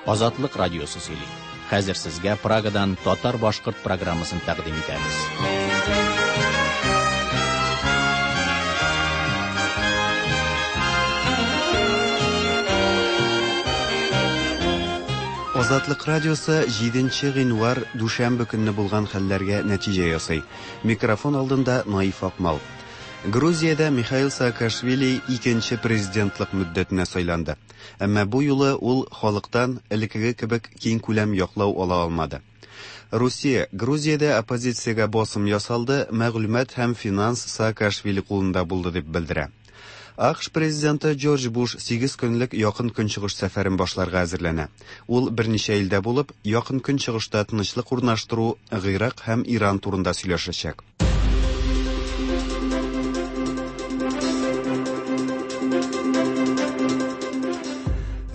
Азатлык радиосы сөйли. Хәзер сезгә Прагадан татар-башкорт программасын тәкъдим итәбез. Азатлык радиосы 7 гыйнвар дүшәмбе көнне булган хәлләргә нәтиҗә ясый. Микрофон алдында Наиф Акмал. Грузиядә Михаил Саакашвили икенче президентлык мөддәтенә сайланды. Әмма бу юлы ул халыктан элеккеге кебек киңкүләм яклау ала алмады. Русия, Грузиядә оппозициягә басым ясалды, мәгълүмат һәм финанс Саакашвили кулында булды дип белдерә. АКШ президенты Джордж Буш 8 көнлек Якын Көнчыгыш сәфәрен башларга әзерләнә. Ул берничә илдә булып, Якын Көнчыгышта тынычлык урнаштыру, Гыйрак һәм Иран турында сөйләшәчәк.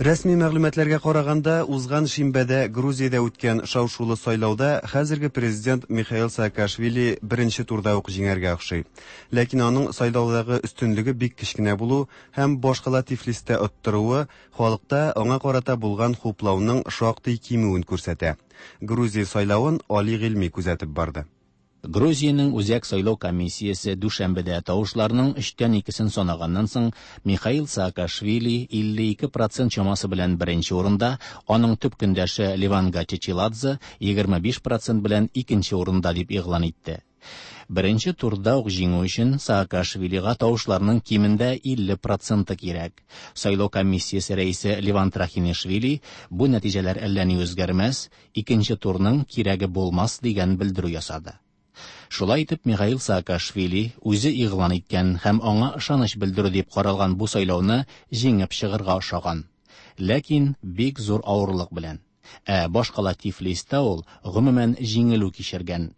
Рәсми мәгълүматларга караганда, узган шимбәдә Грузиядә үткән шау-шулы сайлауда хәзерге президент Михаил Саакашвили беренче турда ук җиңәргә охшый. Ләкин аның сайлаудагы өстенлеге бик кечкенә булу һәм башкала Тифлистә оттыруы халыкта аңа карата булган хуплауның шактый кимүен күрсәтә. Грузия сайлавын Али Гыйльми күзәтеп барды. Грузиянең Үзәк сайлау комиссиясе дүшәмбедә тавышларның өчтән икесен санаганнан соң, Михаил Саакашвили 52 процент чамасы белән беренче урында, аның төп көндәше Леван Гачечиладзе 25 процент белән икенче урында дип игълан итте. Беренче турда ук җиңү өчен Саакашвилига тавышларның кимендә 50 проценты кирәк. Сайлау комиссиясе рәисе Леван Трахинишвили бу нәтиҗәләр әллә ни үзгәрмәс, икенче турның кирәге булмас дигән белдерү ясады. Шулай итеп, Михаил Саакашвили үзе игълан иткән һәм аңа ышаныч белдерү дип каралган бу сайлауны җиңеп чыгарга ошаган. Ләкин бик зур авырлык белән. Ә башкала Тифлистә ул гомумән җиңелү кичергән.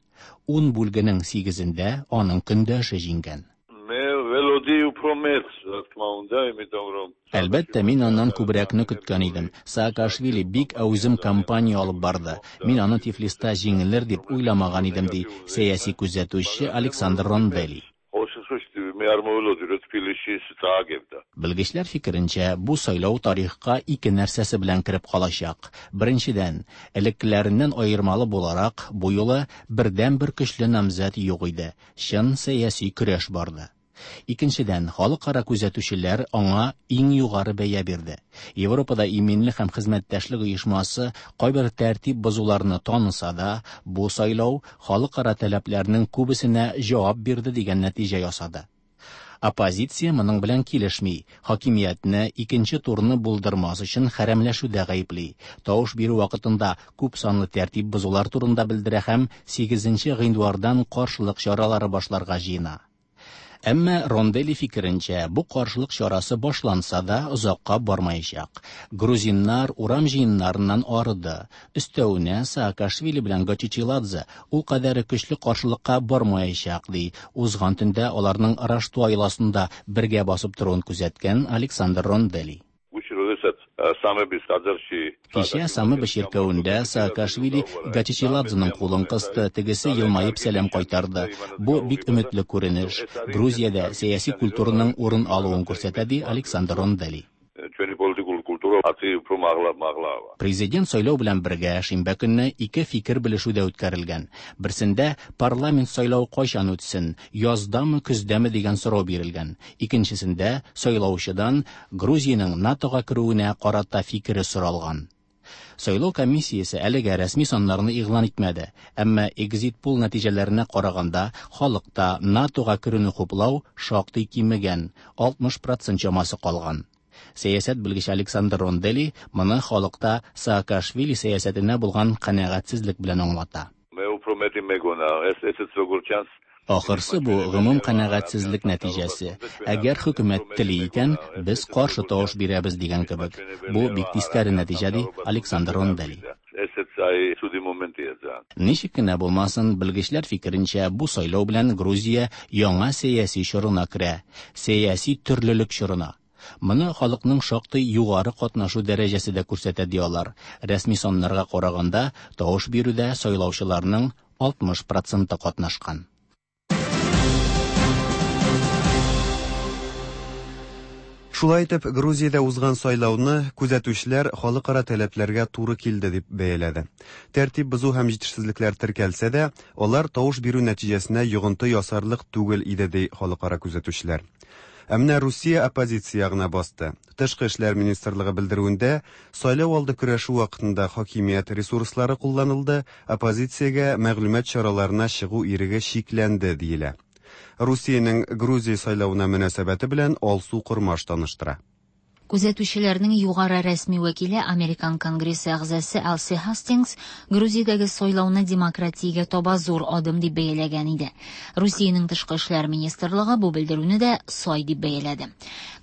10 бүлгенең 8-ендә аның көндәше җиңгән. მე ველოდი უფრო მეტს, რა თქმა უნდა, იმიტომ რომ Әлбәттә, мин аннан күбрәкне көткән идем. Саакашвили бик әүзем кампания алып барды. Мин аны Тифлиста җиңелер дип уйламаган идем, ди сәяси күзәтүче Александр Рондели. ყოველ შემთხვევაში მე არ მოველოდი, რომ თბილისში ის წააგებდა. Белгечләр фикеренчә, бу сайлау тарихка ике нәрсәсе белән кереп калачак. Беренчедән, элеккеләреннән аермалы буларак, бу юлы бердән-бер көчле намзәт юк иде. Чын сәяси көрәш барды. Икенчедән, халыкара күзәтүчеләр аңа иң югары бәя бирде. Европада иминлек һәм хезмәттәшлек оешмасы кайбер тәртип бозуларны таныса да, бу сайлау халыкара таләпләрнең күбесенә җавап бирде дигән нәтиҗә ясады. Оппозиция моның белән килешми, хакимиятне икенче турны булдырмас өчен хәрәмләшүдә гаепли. Тавыш бирү вакытында күп санлы тәртип бозулар турында белдерә һәм 8 гыйнвардан каршылык чаралары башларга җыена. Әмма Рондели фикеренчә, бу каршылык чарасы башланса да озакка бармаячак. Грузиннар урам җыеннарыннан арыды. Өстәвенә Саакашвили белән Гочичиладзе ул кадәр көчле каршылыкка бармаячак, ди. Узган төндә аларның Раштуа йоласында бергә басып торуын күзәткән Александр Рондели. გუშინ როდესაც სამების ტაძარში Кичә Самеба чиркәвендә Саакашвили Гачечиладзеның кулын кысты, тегесе елмаеп сәлам кайтарды. Бу бик өметле күренеш. Грузиядә сәяси культураның урын алуын күрсәтә, ди Александр Рондели. ჩვენი პოლიტიკური კულტურა ათი უფრო მაღლა მაღლაა. Президент сайлау белән бергә шимбә көнне ике фикер белешү дә үткәрелгән. Берсендә парламент сайлау кайчан үтсен, яздамы, көздәме дигән сорау бирелгән. Икенчесендә сайлаучыдан Грузиянең НАТОга керүенә карата фикере соралган. Сайлау комиссиясе әлегә рәсми саннарны игълан итмәде, әмма экзит-пол нәтиҗәләренә караганда халыкта НАТОга керүне хуплау шактый кимегән, 60% чамасы калган. Сәясәт белгече Александр Рондели моны халыкта Саакашвили сәясәтенә булган канәгатьсезлек белән аңлата. მე უფრო მეტი მეგონა, ეს ესეც როგორც ჩანს Ахырсы бу гомум канәгатьсезлек нәтиҗәсе. Әгәр хөкүмәт тели икән, без каршы тавыш бирәбез дигән кебек. Бу бик тискәре нәтиҗә, ди Александр Рондели. ესეც აი ცუდი მომენტია ძალიან. Ничек кенә булмасын, белгечләр фикеренчә, бу сайлау белән Грузия яңа сәяси чорына керә, сәяси төрлелек чорына. Моны халыкның шактый югары катнашу дәрәҗәсе дә күрсәтә ди алар. Рәсми саннарга караганда, тавыш бирүдә сайлаучыларның 60 проценты катнашкан. Шулай итеп, Грузиядә узган сайлауны күзәтүчеләр халыкара таләпләргә туры килде дип бәяләде. Тәртип бозу һәм җитешсезлекләр теркәлсә дә, алар тавыш бирү нәтиҗәсенә йогынты ясарлык түгел иде, ди халыкара күзәтүчеләр. Ә менә Русия оппозиция ягына басты. Тышкы эшләр министрлыгы белдерүендә, сайлау алды көрәше вакытында хакимият ресурслары кулланылды, оппозициягә мәгълүмат чараларына чыгу иреге чикләнде, диелә. Русиянең Грузия сайлавына мөнәсәбәте белән Алсу Кормаш таныштыра. Күзәтүчеләрнең югары рәсми вәкиле, Американ Конгрессы әгъзасы Алси Һастингс Грузиядәге сайлауны демократиягә таба зур адым дип бәяләгән иде. Русиянең тышкы эшләр министрлыгы бу белдерүне дә сай дип бәяләде.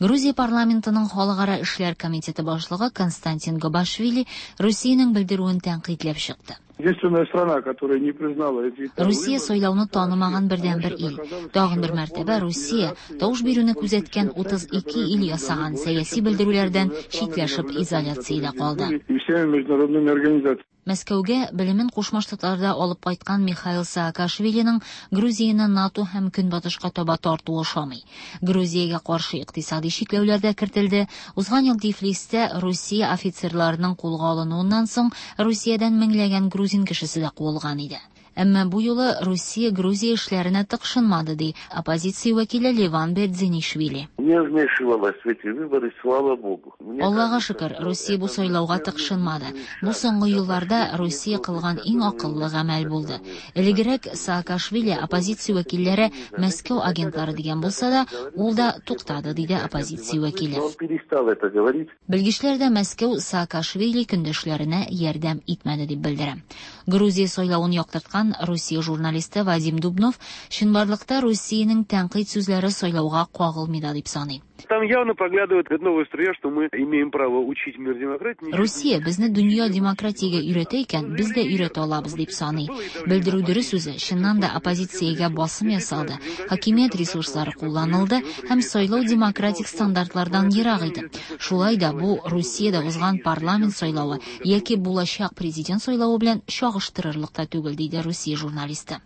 Грузия парламентының халыкара эшләр комитеты башлыгы Константин Гобашвили Русиянең белдерүен тәнкыйтьләп чыкты. Единственная страна, которая не признала эти Русия сайлауны танымаган бердәнбер ил. Тагын бер мәртәбә Русия тавыш бирүне күзәткән 32 ил ясаган сәяси белдерүләрдән читләшеп изоляциядә калды. И всеми международными организациями. Мәскәүгә белемен Кушма Штатларда алып кайткан Михаил Саакашвилиның Грузияне НАТО һәм Көнбатышка таба тартуы ошамый. Грузиягә каршы икътисади чикләүләр дә кертелде. Узган ел Тифлистә Русия офицерларының кулга алынуыннан соң Русиядән меңләгән грузин кешесе дә куылган иде. Әмма бу юлы Русия Грузия эшләренә тыкшынмады, ди оппозиция вәкиле Леван Бердзенишвили. Не вмешивалась в эти выборы, слава богу. Мне Аллага кажется, шөкер, что Русия бу это сайлауга первый тыкшынмады. Бу шаг соңгы к елларда тому, Русия кылган иң акыллы гамәл булды. Элегрәк Саакашвили оппозиция вәкилләре Мәскәү агентлары дигән булса да, ул да туктады, диде оппозиция вәкиле. Но он перестал это говорить. Белгечләр дә Мәскәү Саакашвили көндәшләренә ярдәм итмәде дип белдерә. Грузия сайлавын яктырткан Русия журналисты Вадим Дубнов чынбарлыкта Русиянең тәнкыйть сүзләре сайлауга кагылмый да дип саный. Там явно проглядывает новая струя, что мы имеем право учить мир демократии. Русия безне дөнья демократиягә өйрәтә икән, без дә өйрәтә алабыз дип саный. Белдерү дөрес үзе, чыннан да оппозициягә басым ясалды, хакимият ресурслары кулланылды һәм сайлау демократик стандартлардан ерак иде. Шулай да бу Русиядә узган парламент сайлавы яки булачак президент сайлавы белән чагыштырырлык та түгел, диде Русия журналисты.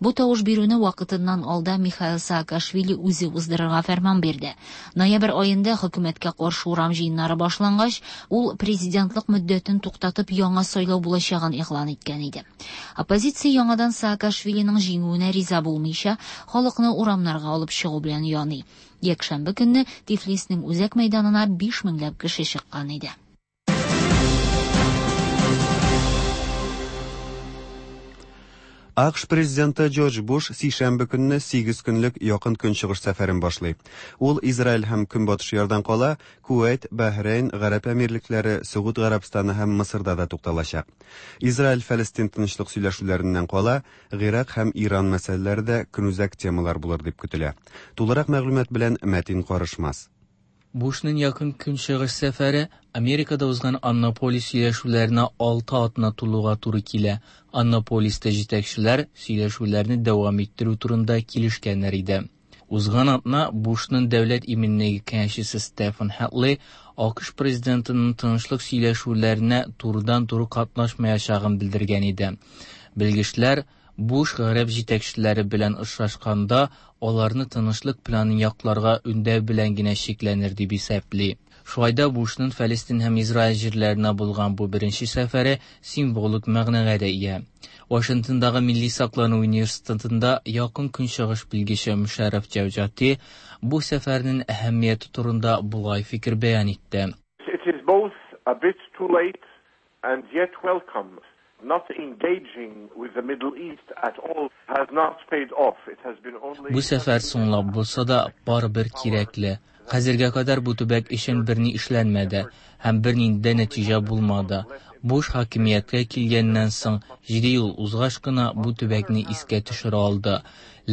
Бу тавыш бирүне вакытыннан алда Михаил Саакашвили үзе уздырырга фәрман бирде. Ноябрь аенда хөкүмәткә каршы урам җыеннары башлангач, ул президентлык мөддәтен туктатып яңа сайлау булачагын игълан иткән иде. Оппозиция яңадан Саакашвилиның җиңүенә риза булмыйча, халыкны урамнарга алып чыгу белән яный. Якшәмбе көнне Тифлиснең үзәк мәйданына 5 меңләп кеше чыккан иде. АКШ президенты Джордж Буш сишәмбе көнне 8 көнлек якын көнчыгыш сәфәрен башлый. Ул Израиль һәм Көнбатыш ярдан кала Кувәйт, Бәһрәйн, Гарәп Әмирлекләре, Сөгуд Гарәбстаны һәм Мысырда да тукталачак. Израиль-Фәлестин тынычлык сөйләшүләреннән кала Гыйрак һәм Иран мәсьәләләре дә көнүзәк темалар булыр дип көтелә. Тулырак мәгълүмат белән Мәтин Карышмас. Бушның якын көнчыгыш сәфәре Америкада узган Аннаполис сөйләшүләренә 6 атна тулуга туры килә. Аннаполиста җитәкчеләр сөйләшүләрне дәвам иттерү турында килешкәннәр иде. Узган атна Бушның дәүләт иминлеге киңәшчесе Стефан Хэтли АКШ президентының тынычлык сөйләшүләренә турыдан-туры катнашмаячагын белдергән иде. Белгечләр Буш гарәп җитәкчеләре белән очрашканда аларны тынычлык планын якларга өндәү белән генә чикләнер дип исәпли. Шулай да Бушның Фәлестин һәм Израиль җирләренә булган бу беренче сәфәре символик мәгънәгә дә ия. Вашингтондагы Милли саклану университетында якын көнчыгыш белгече Мушарраф Җәүҗати бу сәфәрнең әһәмияте турында болай фикер бәян итте. It is both a bit too late and yet welcome. Not engaging with the Middle East at all has not paid off. It has been only Бу сәфәр соңлап булса да барыбер кирәкле. Хәзергә кадәр бу төбәк өчен берни эшләнмәде һәм бернинди дә нәтиҗә булмады. Буш хакимияткә килгәннән соң 7 ел узгач кына бу төбәкне искә төшерә алды.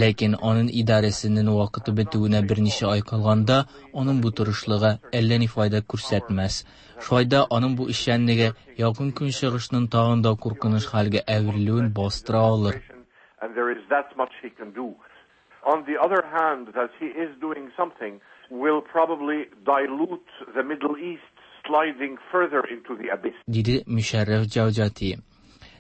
Ләкин аның идарәсенең вакыты бетүенә берничә ай калганда, аның бу тырышлыгы әллә ни файда күрсәтмәс. Шулай да аның бу эшчәнлеге якын көнчыгышның тагын да куркыныч хәлгә әверелүен бастыра алыр. And there is that much he can do. On the other hand, that he is doing something will probably dilute the Middle East sliding further into the abyss. Диде Мушарраф Җәүҗати.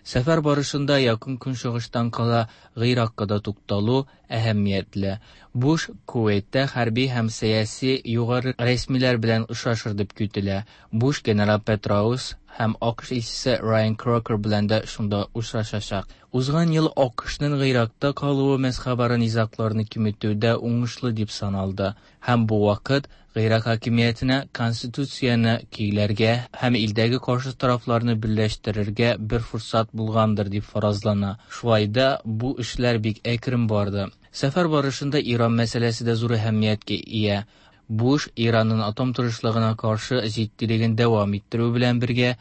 Сәфәр барышында Якын Көнчыгыштан кала Гыйракка да тукталу әһәмиятле. Буш Кувейтта хәрби һәм сәяси югары рәсмиләр белән очрашыр дип көтелә. Буш генерал Петраус һәм АКШ илчесе Райан Крокер белән дә шунда очрашачак. Узган ел АКШның Гыйракта калуы мәзһәбара низагларны киметүдә уңышлы дип саналды һәм бу вакыт Гыйрак хакимиятенә конституцияне көйләргә һәм илдәге каршы тарафларны берләштерергә бер форсат булгандыр дип фаразлана. Шулай да бу эшләр бик әкрен барды. Сәфәр барышында Иран мәсьәләсе дә зур әһәмияткә ия. Буш Иранның атом тырышлыгына каршы җитдилеген дәвам иттерү белән бергә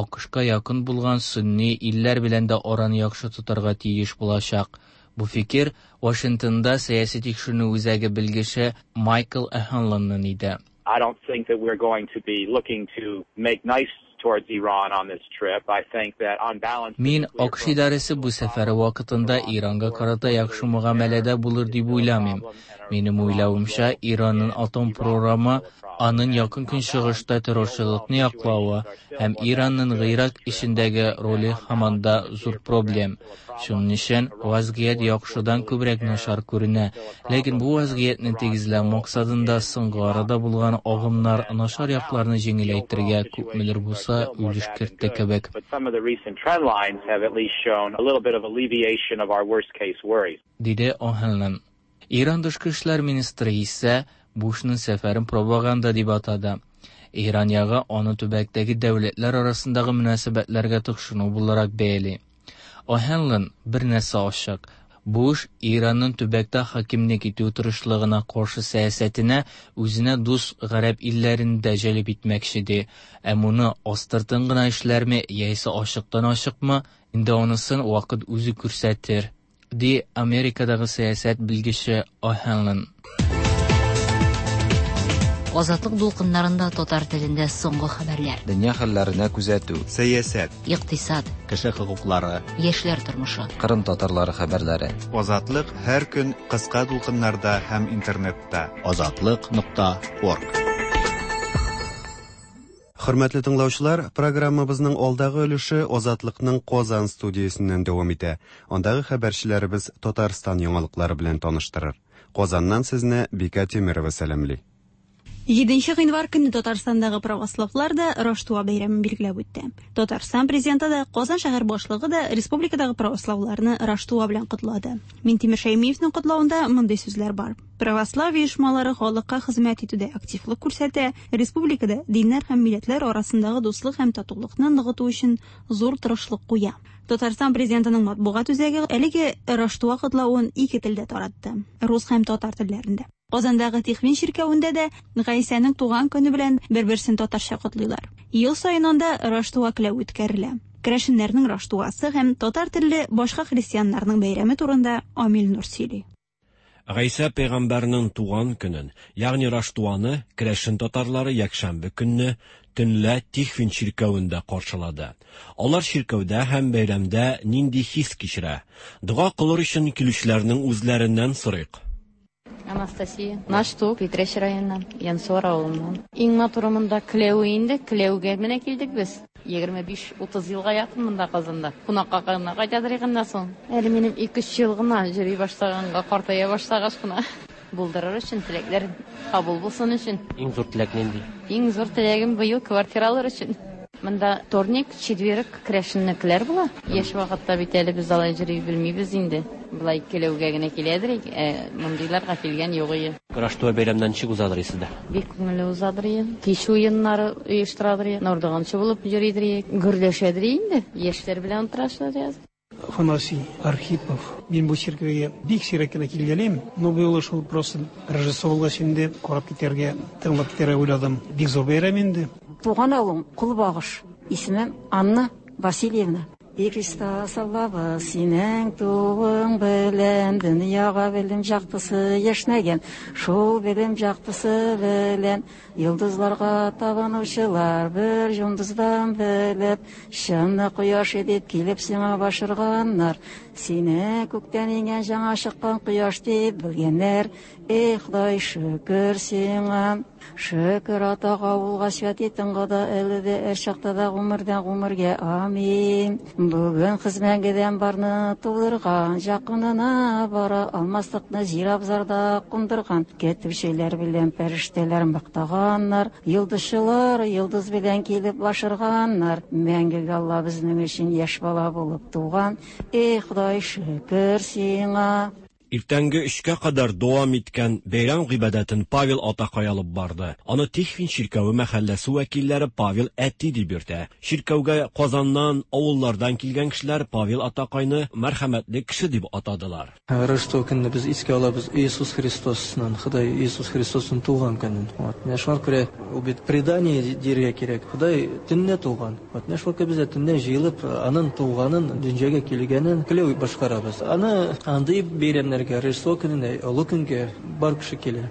АКШка якын булган сөнни илләр белән дә араны яхшы тотарга тиеш булачак. Бу фикер Вашингтонда сәяси тикшеренү үзәге белгече Майкл О'Ханлонның иде. I don't think that we're going to be looking to make nice towards Iran on this trip. I think that on balance Мин АКШ идарәсе бу сәфәре вакытында Иранга карата яхшы мөгамәләдә булыр дип уйламыйм. Минем уйлавымча, Иранның атом програмы, аның Якын Көнчыгышта террорчылыкны яклавы һәм Иранның Гыйрак эчендәге роле һаман да зур проблем. Шуның өчен вазгыять яхшыдан күбрәк начар күренә. Ләкин бу вазгыятьне тигезләү максатында соңгы арада булган агымнар начар якларны җиңеләйтергә күпмедер булса өлеш кертте кебек. But some of the recent trend lines have at least shown a little bit of alleviation of our worst case worries. Диде О'Ханлон. Иран тышкы эшләр министры исә Бушның сәфәрен пропаганда дип атады. Иран ягы аны төбәктәге дәүләтләр арасындагы мөнәсәбәтләргә тыкшыну буларак бәяли. О'Ханлон бер нәрсә ачык, Буш Иранның төбәктә хакимлек итү тырышлыгына каршы сәясәтенә үзенә дус гарәп илләрен дә җәлеп итмәкче ди. Ә моны астыртын гына эшләрме яисә ачыктан-ачыкмы, инде анысын вакыт үзе күрсәтер, ди Америкадагы сәясәт белгече О'Ханлон. Азатлык дулкыннарында татар телендә соңгы хәбәрләр. Дөнья хәлләренә күзәтү. Сәясәт. Икътисад. Кеше хокуклары. Яшьләр тормышы. Кырым татарлары хәбәрләре. Азатлык һәр көн кыска дулкыннарда һәм интернетта. Азатлык.орг. Хөрмәтле тыңлаучылар, программабызның алдагы өлеше Азатлыкның Казан студиясеннән дәвам итә. Андагы хәбәрчеләребез Татарстан яңалыклары белән таныштырыр. Казаннан сезне Бикә Тимерова сәламли. 7 гыйнвар көнне Татарстандагы православлар да Раштуа бәйрәмен билгеләп үтте. Татарстан президенты да, Казан шәһәр башлыгы да республикадагы православларны Раштуа белән котлады. Минтимер Шәймиевның котлавында мондый сүзләр бар. Православие оешмалары халыкка хезмәт итүдә активлык күрсәтә, республикада диннәр һәм милләтләр арасындагы дуслык һәм татулыкны ныгыту өчен зур тырышлык куя. Татарстан президентының матбугат үзәге әлеге Раштуа котлавын ике телдә таратты: рус һәм татар телләрендә. Казандагы Тихвин чиркәвендә дә Гайсәнең туган көне белән бер-берсен татарча котлыйлар. Ел саен анда Раштуа келәү үткәрелә. Керәшеннәрнең Раштуасы һәм татар телле башка христианнарның бәйрәме турында Амил Нур сөйли. Гайсә пәйгамбәрнең туган көнен, ягъни Раштуаны керәшен татарлары якшәмбе көнне төнлә Тихвин чиркәвендә каршылады. Алар чиркәүдә һәм бәйрәмдә нинди хис кичерә? Дога кылыр өчен килүчеләрнең үзләреннән сорыйк. Анастасия. Нашту, Питрәч районыннан, Янсуар авылыннан. Иң матуры монда Кләү инде, Кләүгә менә килдек без. 25-30 елга якын монда Казанда. Кунакка гына кайтадыр икәннән соң. Әле минем 2-3 ел гына йөри башлаганга, картая башлагач кына. Булдырыр өчен теләкләр кабул булсын өчен. Иң зур теләк нинди? Иң зур теләгем быел квартира алыр өчен. Монда вторник, четверг керәшеннекеләр була. Яшь вакытта бит әле без алай йөри белмибез инде. Болай келәүгә генә киләдер, мондыйларга килгән юк ие. Раштуа бәйрәмнән ничек узадыр сездә? Бик күңелле узадыр ие. Кич уеннары оештырадыр ие. Нурдыганчы булып йөридер ие. Гөрләшәдер инде. Яшьләр белән утырашалар яз. Афанасий Архипов. Мин бу чиркәүгә бик сирәк кенә килгәлим, но бу юлы шул просто Рождество булгач инде карап китәргә, тыңлап китәргә уйладым. Бик зур бәйрәм инде. Туган авылым Кулбагыш. Исемем Анна Васильевна. И Христос Аллабыз, синең тууың белән дөньяга белем яктысы яшьнәгән, шул белем яктысы белән йолдызларга табынучылар бер йолдыздан белеп, чынны кояш дип килеп сиңа башырганнар. Сине күктән иңгән җаңа чыккан кояш дип белгәннәр. Эй, Ходай, шөкер сиңа. Шөкер атага, улга, святи тынга да, әле дә, әр чакта да, гомердән гомергә. Амин. Бүген кыз мәңгедән барны тудырган, Җакынына бара алмаслыкны җир абзарда кундырган. Көтүчеләр белән пәрештәләр мактаганнар, Йолдызчылар йолдыз белән килеп башырганнар. Мәңгегә Алла безнең өчен яшь бала булып туган. Эй, Ходай, шөкер сиңа. Иртәнге өчкә кадәр дәвам иткән бәйрәм гыйбадәтен Павел атакай алып барды. Аны Тихвин чиркәве мәхәлләсе вәкилләре Павел әти дип йөртә. Чиркәүгә Казаннан, авыллардан килгән кешеләр Павел атакайны мәрхәмәтле кеше дип атадылар. Рождество көнне без искә алабыз Иисус Христосның, Ходай Иисус Христосның туган көнен. Вот. Менә шуңа күрә ул бит предание диергә кирәк. Ходай төнлә туган. Вот. Менә шуңа күрә без дә төнлә җыелып, аның туганын, дөньяга килгәнен келәү башкарабыз. Аны андый бәйрәмнәргә, Рождество көненә, Олы көнгә бар кеше килә.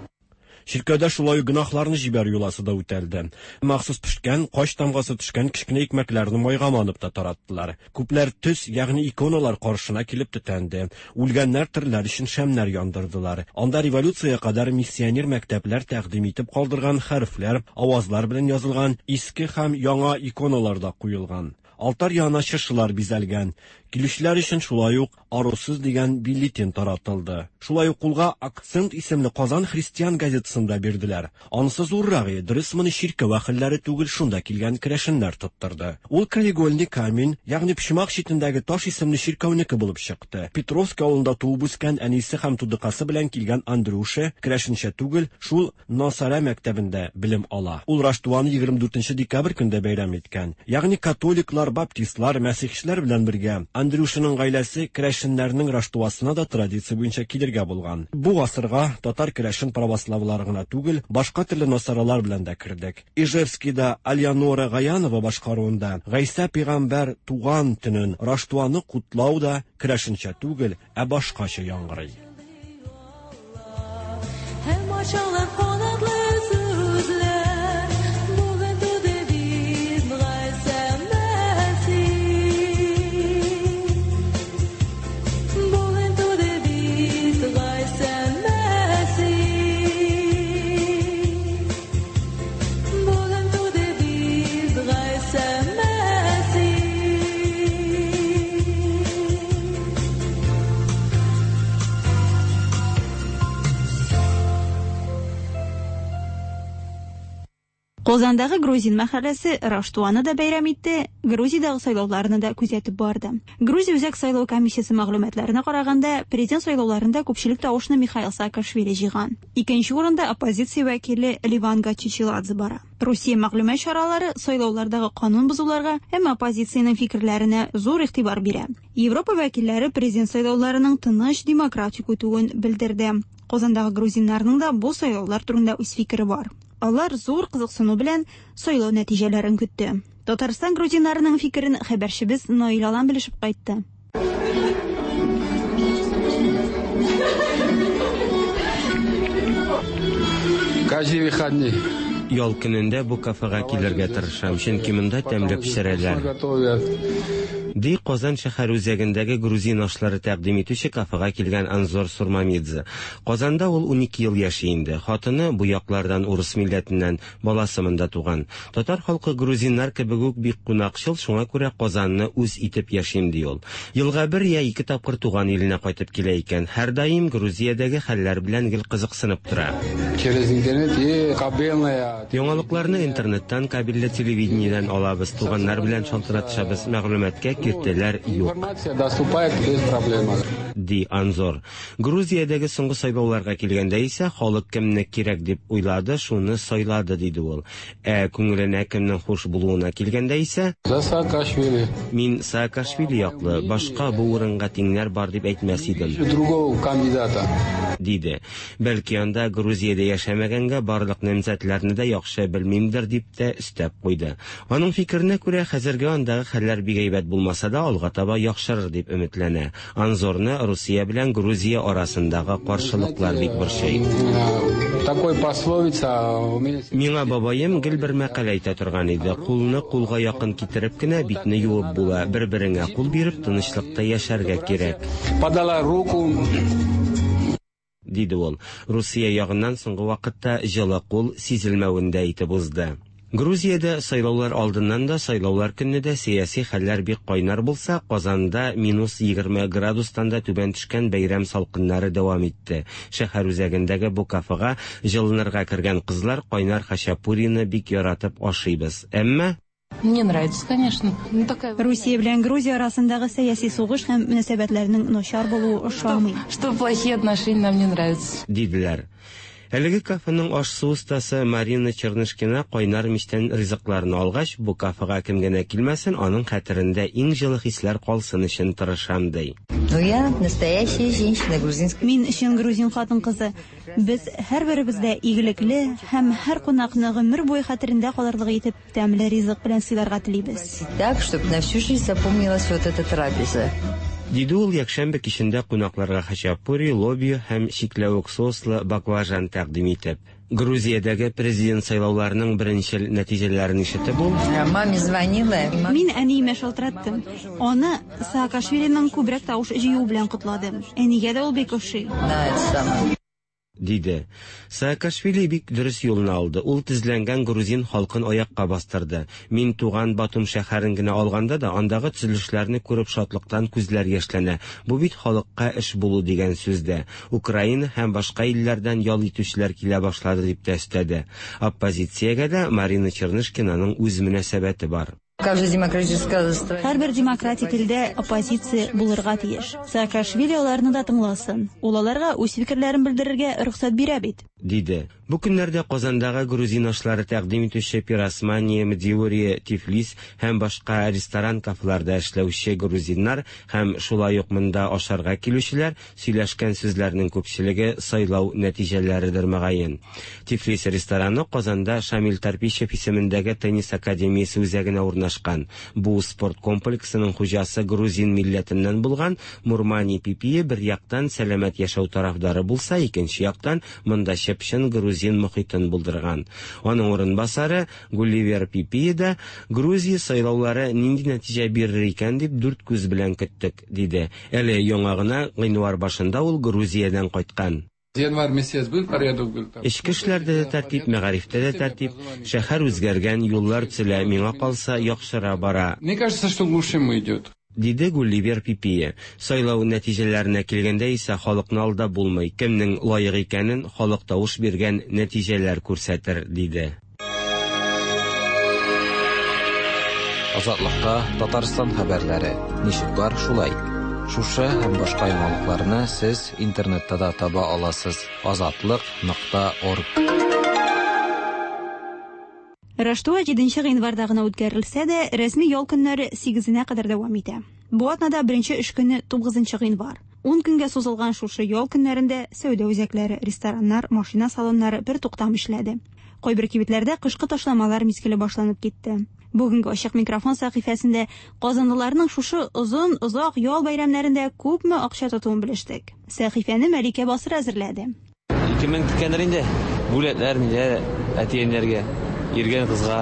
Чиркәүдә шулай ук гөнаһларны җибәрү йоласы да үтәлде. Махсус пешкән, кач тамгасы төшкән кечкенә икмәкләрне майга манып та тараттылар. Күпләр төс, ягъни иконалар каршына килеп төтәнде. Үлгәннәр тереләр өчен шәмнәр яндырдылар. Анда революциягә кадәр миссионер мәктәпләр тәкъдим итеп калдырган хәрефләр, авазлар белән язылган иске һәм яңа иконалар да куелган. Алтарь янына чыршылар бизәлгән. Килүчеләр өчен шулай ук Арусыз дигән бюллетень таратылды. Шулай ук кулга Акцент исемле Казан христиан газетасын да бирделәр. Анысы зуррак иде, дөрес моны чиркәү әһелләре түгел, шунда килгән керәшеннәр тоттырды. Ул Краеугольный камень, ягъни почмак читендәге таш исемле чиркәүнеке булып чыкты. Петровский авылында туып үскән әнисе һәм тудыкасы белән килгән Андрюша, керәшенчә түгел, шул Насара мәктәбендә белем ала. Ул Раштуаны 24 нче декабрь көндә бәйрәм иткән. Ягъни католиклар, баптистлар, мәсихчеләр белән бергә Андрюшаның гаиләсе керәшеннәрнең Раштуасына да традиция буенча килергә булган. Бу гасырга татар керәшен православлары гына түгел, башка төрле насаралар белән дә кердек. Ижевскийда Альянора Гаянова башкаруында Гайсә пигамбәр туган төнен Раштуаны котлау да керәшенчә түгел, ә башкача яңгырый. Һәм ачалар канатлы сүзләр. Бүген туды бит Гайсә Мәсих. Бүген туды бит Гайсә Мәсих. Бүген туды бит Гайсә Мәсих. Казандагы грузин мәхәлләсе Раштуаны да бәйрәм итте, Грузиядәге сайлауларны да күзәтеп барды. Грузия Үзәк сайлау комиссиясе мәгълүматларына караганда, президент сайлауларында күпчелек тавышны Михаил Саакашвили җыйган. Икенче урында оппозиция вәкиле Леван Гачичиладзе бара. Русия мәгълүмат чаралары сайлаулардагы канун бозуларга һәм оппозициянең фикерләренә зур игътибар бирә. Европа вәкилләре президент сайлауларының тыныч, демократик үтүен белдерде. Казандагы грузиннарның да бу сайлаулар турында үз фикере бар. Алар зур кызыксыну белән сайлау нәтиҗәләрен көтте. Татарстан грузиннарының фикерен хәбәрчебез Наил Алан белешеп кайтты. Каждый выходный. Ял көнендә бу кафега килергә тырышам, чөнки монда тәмле пешерәләр. Ди Казан шәһәр үзәгендәге грузин ашлары тәкъдим итүче кафега килгән Анзор Сурмамидзе. Казанда ул 12 ел яши инде. Хатыны бу яклардан урыс милләтеннән, баласы монда туган. Татар халкы грузиннар кебек үк бик кунакчыл, шуңа күрә Казанны үз итеп яшим, ди ул. Елга бер я ике тапкыр туган иленә кайтып килә икән. Һәрдаим Грузиядәге хәлләр белән гел кызыксынып тора. Через интернет и кабельная. Яңалыкларны интернеттан, кабельле телевидениедән алабыз, туганнар белән шалтыратышабыз, мәгълүматка киртәләр юк. Информация доступает без проблем. Ди Анзор. Грузиядәге соңгы сайлауларга килгәндә исә, халык кемне кирәк дип уйлады, шуны сайлады, диде ул. Ә күңеленә кемнең хуш булуына килгәндә исә, За Саакашвили. Мин Саакашвили яклы, башка бу урынга тиңнәр бар дип әйтмәс идем. Другого кандидата. Диде. Бәлки анда Грузиядә яшәмәгәнгә барлык намзәтләрне дә яхшы белмимдер, дип тә өстәп куйды. Аның фикеренә күрә, хәзергә андагы хәлләр бик әйбәт булмаса да, алга таба яхшырыр дип өметләнә. Анзорны Русия белән Грузия арасындагы каршылыклар бик борчый. Такой пословица у меня... Миңа бабаем гел бер мәкаль әйтә торган иде, Кулны кулга якын китереп кенә битне юып була, бер-береңә кул биреп тынычлыкта яшәргә кирәк. Подала руку. Диде ул. Русия ягыннан соңгы вакытта җылы кул сизелмәвен дә әйтеп узды. Грузиядә сайлаулар алдыннан да, сайлаулар көнне дә сәяси хәлләр бик кайнар булса, Казанда минус 20 градустан да түбән төшкән бәйрәм салкыннары дәвам итте. Шәһәр үзәгендәге бу кафега җылынырга кергән кызлар кайнар хачапурины бик яратып ашыйбыз. Әмма. Мне нравится, конечно. Ну, такая... Русия белән Грузия арасындагы сәяси сугыш һәм мөнәсәбәтләрнең начар булуы ошамый. Что плохие отношения нам не нравятся. Диделәр. Әлеге кафеның аш-су остасы Марина Чернышкина кайнар мичтән ризыкларны алгач, бу кафега кем генә килмәсен, аның хәтерендә иң җылы хисләр калсын өчен тырышам, ди. Ну, я настоящая женщина грузинская. Мин чын грузин хатын-кызы. Без һәрберебез дә игелекле һәм һәр кунакны гомер буе хәтерендә калырлык итеп тәмле ризык белән сыйларга телибез. Так, чтобы на всю жизнь запомнилась вот эта трапеза. Диде ул якшәмбе кичендә кунакларга хачапури, лобио һәм чикләвек соуслы баклажан тәкъдим итеп. Грузиядәге президент сайлауларының беренчел нәтиҗәләрен ишетеп ул. Маме звонила. Мин әниемә шалтыраттым. Аны Саакашвилиның күбрәк тавыш җыюы белән котладым. Әнигә дә ул бик ошый. На это самое. Диде. Саакашвили бик дөрес юлны алды. Ул тезләнгән грузин халкын аякка бастырды. Мин туган Батум шәһәрен генә алганда да, андагы төзелешләрне күреп шатлыктан күзләр яшьләнә. Бу бит халыкка эш булу дигән сүз дә. Украина һәм башка илләрдән ял итүчеләр килә башлады, дип тә өстәде. Оппозициягә дә Марина Чернышкинаның үз мөнәсәбәте бар. Һәрбер демократик илдә оппозиция булырга тиеш. Саакашвили аларны да тыңласын. Ул аларга үз фикерләрен белдерергә рөхсәт бирә бит. Диде. Бу көннәрдә Казандагы грузин ашлары тәкъдим итүче Пиросмани, Мдиури, Тифлис һәм башка ресторан-кафеларда эшләүче грузиннар һәм шулай ук монда ашарга килүчеләр Сөйләшкән сүзләрнең күпчелеге сайлау нәтиҗәләредер, мөгаен. Тифлис рестораны Казанда Шамил Тарпищев исемендәге теннис академиясе үзәгенә урнашкан. Бу спорт комплексының хуҗасы грузин милләтеннән булган Мурмани Пипие бер яктан сәламәт яшәү тарафдары булса, икенче яктан монда чып-чын грузин мохитен булдырган. Аның урынбасары Гулливер Пипие да Грузия сайлаулары нинди нәтиҗә бирер икән дип дүрт күз белән көттек, диде. Әле яңа гына, гыйнвар башында ул Грузиядән кайткан. Январь месяц был порядок был там. Эчке эшләрдә дә тәртип, мәгарифтә дә тәртип. Шәһәр үзгәргән, юллар төзелә, миңа калса, яхшыра бара. Мне кажется, что к лучшему идет. Диде Гулливер Пипие. Сайлау нәтиҗәләренә килгәндә исә халыкны алдап булмый, кемнең лаек икәнен халык тавыш биргән нәтиҗәләр күрсәтер, диде. Азатлыкта Татарстан хәбәрләре. Ничек бар, шулай. Шушы һәм башка яңалыкларны сез интернетта да таба аласыз: азатлык нокта орг. Раштуа җиденче гыйнварда гына үткәрелсә дә, рәсми ял көннәре сигезенә кадәр дәвам итә. Бу атнада беренче эш көне тугызынчы гыйнвар. Ун көнгә сузылган шушы ял көннәрендә сәүдә үзәкләре, рестораннар, машина салоннары бертуктам эшләде. Кайбер кибетләрдә кышкы ташламалар мизгеле башланып китте. Бүгенге Ачык микрофон сәхифәсендә казанлыларның шушы озын, озак ял бәйрәмнәрендә күпме акча тотуын белештек. Сәхифәне Мәликә Басыр әзерләде. 2000 киткәндер инде. Бүләкләр, ниләр әти-әниләргә, йөргән кызга.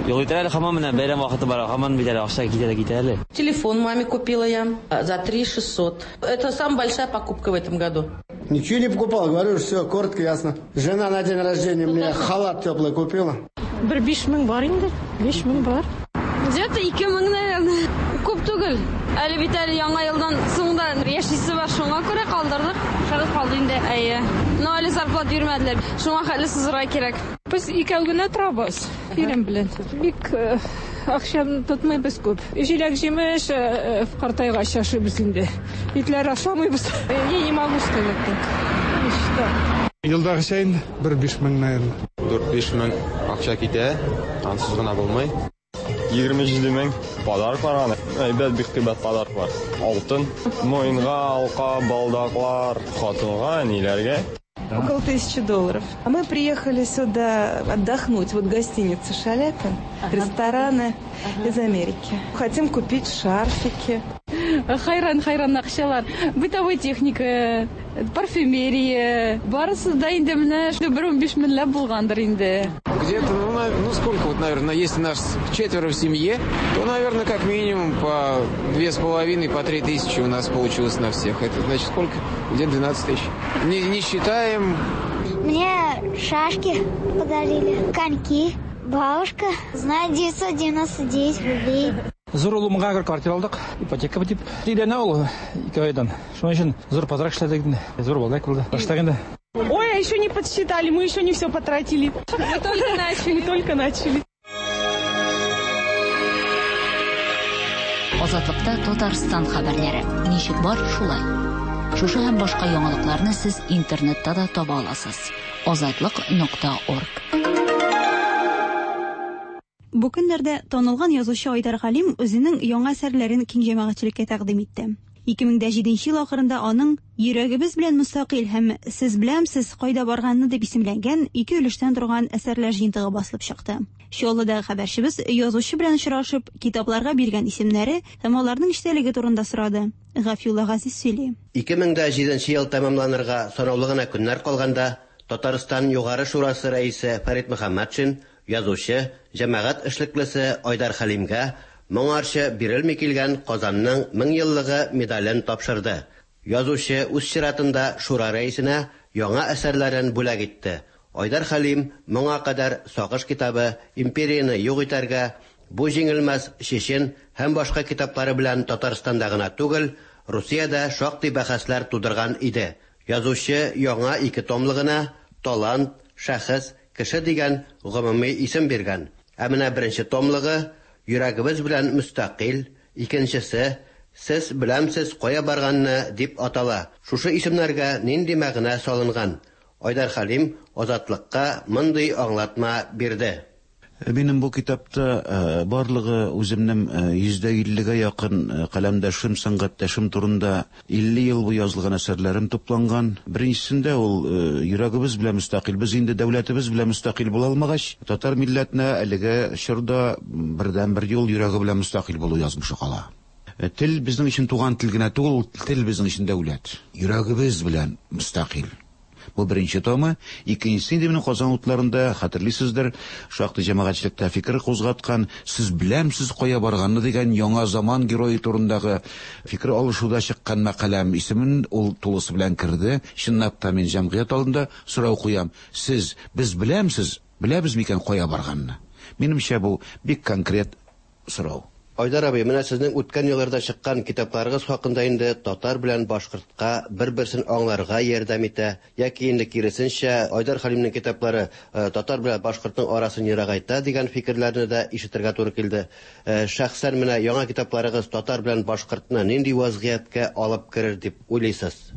Юк итәр әле һаман менә бәйрәм вакыты бара, һаман бит әле акча китә дә китә әле. Телефон маме купила я за 3600. Это самая большая покупка в этом году. Ничего не покупал, говорю, все коротко, ясно. Жена на день рождения мне халат теплый купила. Бер 5000 бар инде, 5000 бар. Где-то 2000, наверное. Күп түгел. Әле бит әле яңа елдан соң да яшисе бар, шуңа күрә калдырдык. Шагыз калды инде. Әйе. Но әле зарплата бирмәделәр. Шуңа хәтле сызырга кирәк. Без икәү генә торабыз, ирем белән. Бик э, акча тотмыйбыз күп. Җиләк-җимеш э, картайгач ашыйбыз инде. Итләр ашамыйбыз. Я не могу сказать так. Не считала. Елдагыча инде, бер 5000, наверное. 4-5 мең акча китә, ансыз гына булмый. 27 мең. Подарклар аны. Әйбәт, бик кыйбат подарклар. Алтын, муенга алка, балдаклар, хатынга, әниләргә. Около $1000. А мы приехали сюда отдохнуть. Вот гостиница Шаляпин, рестораны из Америки. Хотим купить шарфики. Хайран, хайран акчалар. Бытовой техника, парфюмерия. Барысы да инде менә шул бер 15 меңләп булгандыр инде. Где-то, ну, сколько вот, наверное, если нас четверо в семье, то, наверное, как минимум по 2,5, по 3 тысячи у нас получилось на всех. Это значит сколько? Где-то 12 тысяч. Не считаем. Мне шашки подарили, коньки. Бабушка знает 999 рублей. Зур улымга бер квартира алдык, ипотека дип. Өйләнә ул 2 айдан. Шуның өчен зур подарок эшләдек инде. Зур бүләк булды. Баштак инде. Ой, а еще не подсчитали, мы еще не все потратили. Мы только начали. Мы только начали. Азатлыкта Татарстан хәбәрләре. Ничек бар, шулай. Шушы һәм башка яңалыкларны сез интернетта да таба аласыз. Азатлык.орг. Бу көннәрдә танылган язучы Айдар Галим үзенең яңа әсәрләрен киң җәмәгатьчелеккә тәкъдим итте. 2007 ел ахырында аның Йөрәгебез белән мөстәкыйль һәм Сез беләмсез кайда барганны дип исемләнгән ике өлештән торган әсәрләр җыентыгы басылып чыкты. Чаллыдагы хәбәрчебез язучы белән очрашып, китапларга биргән исемнәре һәм аларның эчтәлеге турында сорады. Гафиулла Газиз сөйли. 2007 ел тәмамланырга санаулы гына көннәр калганда, Татарстан Югары Шурасы рәисе Фәрит Мөхәммәтшин язучы, җәмәгать эшлеклесе Айдар Хәлимгә моңарчы бирелми килгән Казанның 1000 еллыгы медален тапшырды. Язучы үз чиратында Шура рәисенә яңа әсәрләрен бүләк итте. Айдар Хәлим моңа кадәр Сагыш китабы, Империяне юк итәргә, Бу җиңелмәс Чечен һәм башка китаплары белән Татарстанда гына түгел, Русиядә шактый бәхәсләр тудырган иде. Язучы яңа ике томлыгына Талант, Шәхес, Кеше дигән гомуми исем биргән. Ә менә беренче томлыгы Йөрәгебез белән мөстәкыйль, икенчесе Сез беләмсез кая барганны дип атала. Шушы исемнәргә нинди мәгънә салынган? Айдар Хәлим Азатлыкка мондый аңлатма бирде. Минем бу китапта барлыгы үземнең 150-гә якын каләмдәшем, сәнгатьтәшем турында 50 ел буе язылган әсәрләрем тупланган. Беренчесендә ул йөрәгебез белән мөстәкыйль. Без инде дәүләтебез белән мөстәкыйль була алмагач, татар милләтенә әлеге чорда бердәнбер юл йөрәге белән мөстәкыйль булу язмышы кала. Тел безнең өчен туган тел генә түгел, ул тел безнең өчен дәүләт. Йөрәгебез белән мөстәкыйль. Бу беренче томы. Икенчесе инде минем Казан утларында, хәтерлисездер, шактый җәмәгатьчелектә фикер кузгаткан Сез беләмсез кая барганны дигән яңа заман герое турындагы фикер алышуда чыккан мәкаләм исемен ул тулысы белән керде. Чынлап та мин җәмгыять алдында сорау куям. Сез, без беләмсез, беләбез микән кая барганны? Минемчә, бу бик конкрет сорау. Айдар абый, менә сезнең үткән елларда чыккан китапларыгыз хакында инде татар белән башкортка бер-берсен аңларга ярдәм итә, яки инде киресенчә, Айдар Хәлимнең китаплары татар белән башкортның арасын ерагайта дигән фикерләрне дә ишетергә туры килде. Шәхсән менә яңа китапларыгыз татар белән башкортны нинди вазгыятькә алып керер дип уйлыйсыз?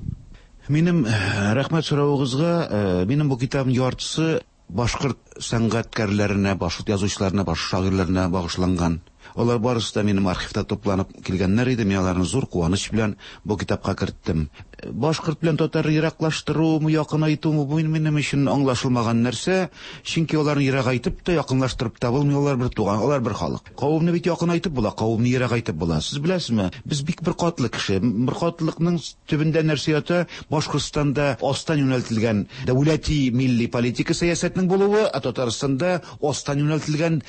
Минем, рәхмәт соравыгызга, минем бу китабым яртысы башкорт сәнгатькәрләренә, башкорт язучыларына, башкорт шагыйрьләренә багышланган. Алар барысы да минем архивта тупланып килгәннәр иде. Мин аларны зур куаныч белән бу китапка керттем. Башкорт белән татарны ераклаштырумы, якынайтумы, бу минем өчен аңлашылмаган нәрсә. Чөнки аларны ерагайтып та, якынлаштырып та булмый, алар бер туган, алар бер халык. Кавымны бит якынайтып була, кавымны ерагайтып була. Сез беләсезме, без бик беркатлы кеше. Беркатлылыкның төбендә нәрсә ята? Башкортстанда астан юнәлтелгән дәүләти милли политика сәясәтенең булуы, ә Татарстанда астан юнәлтелгән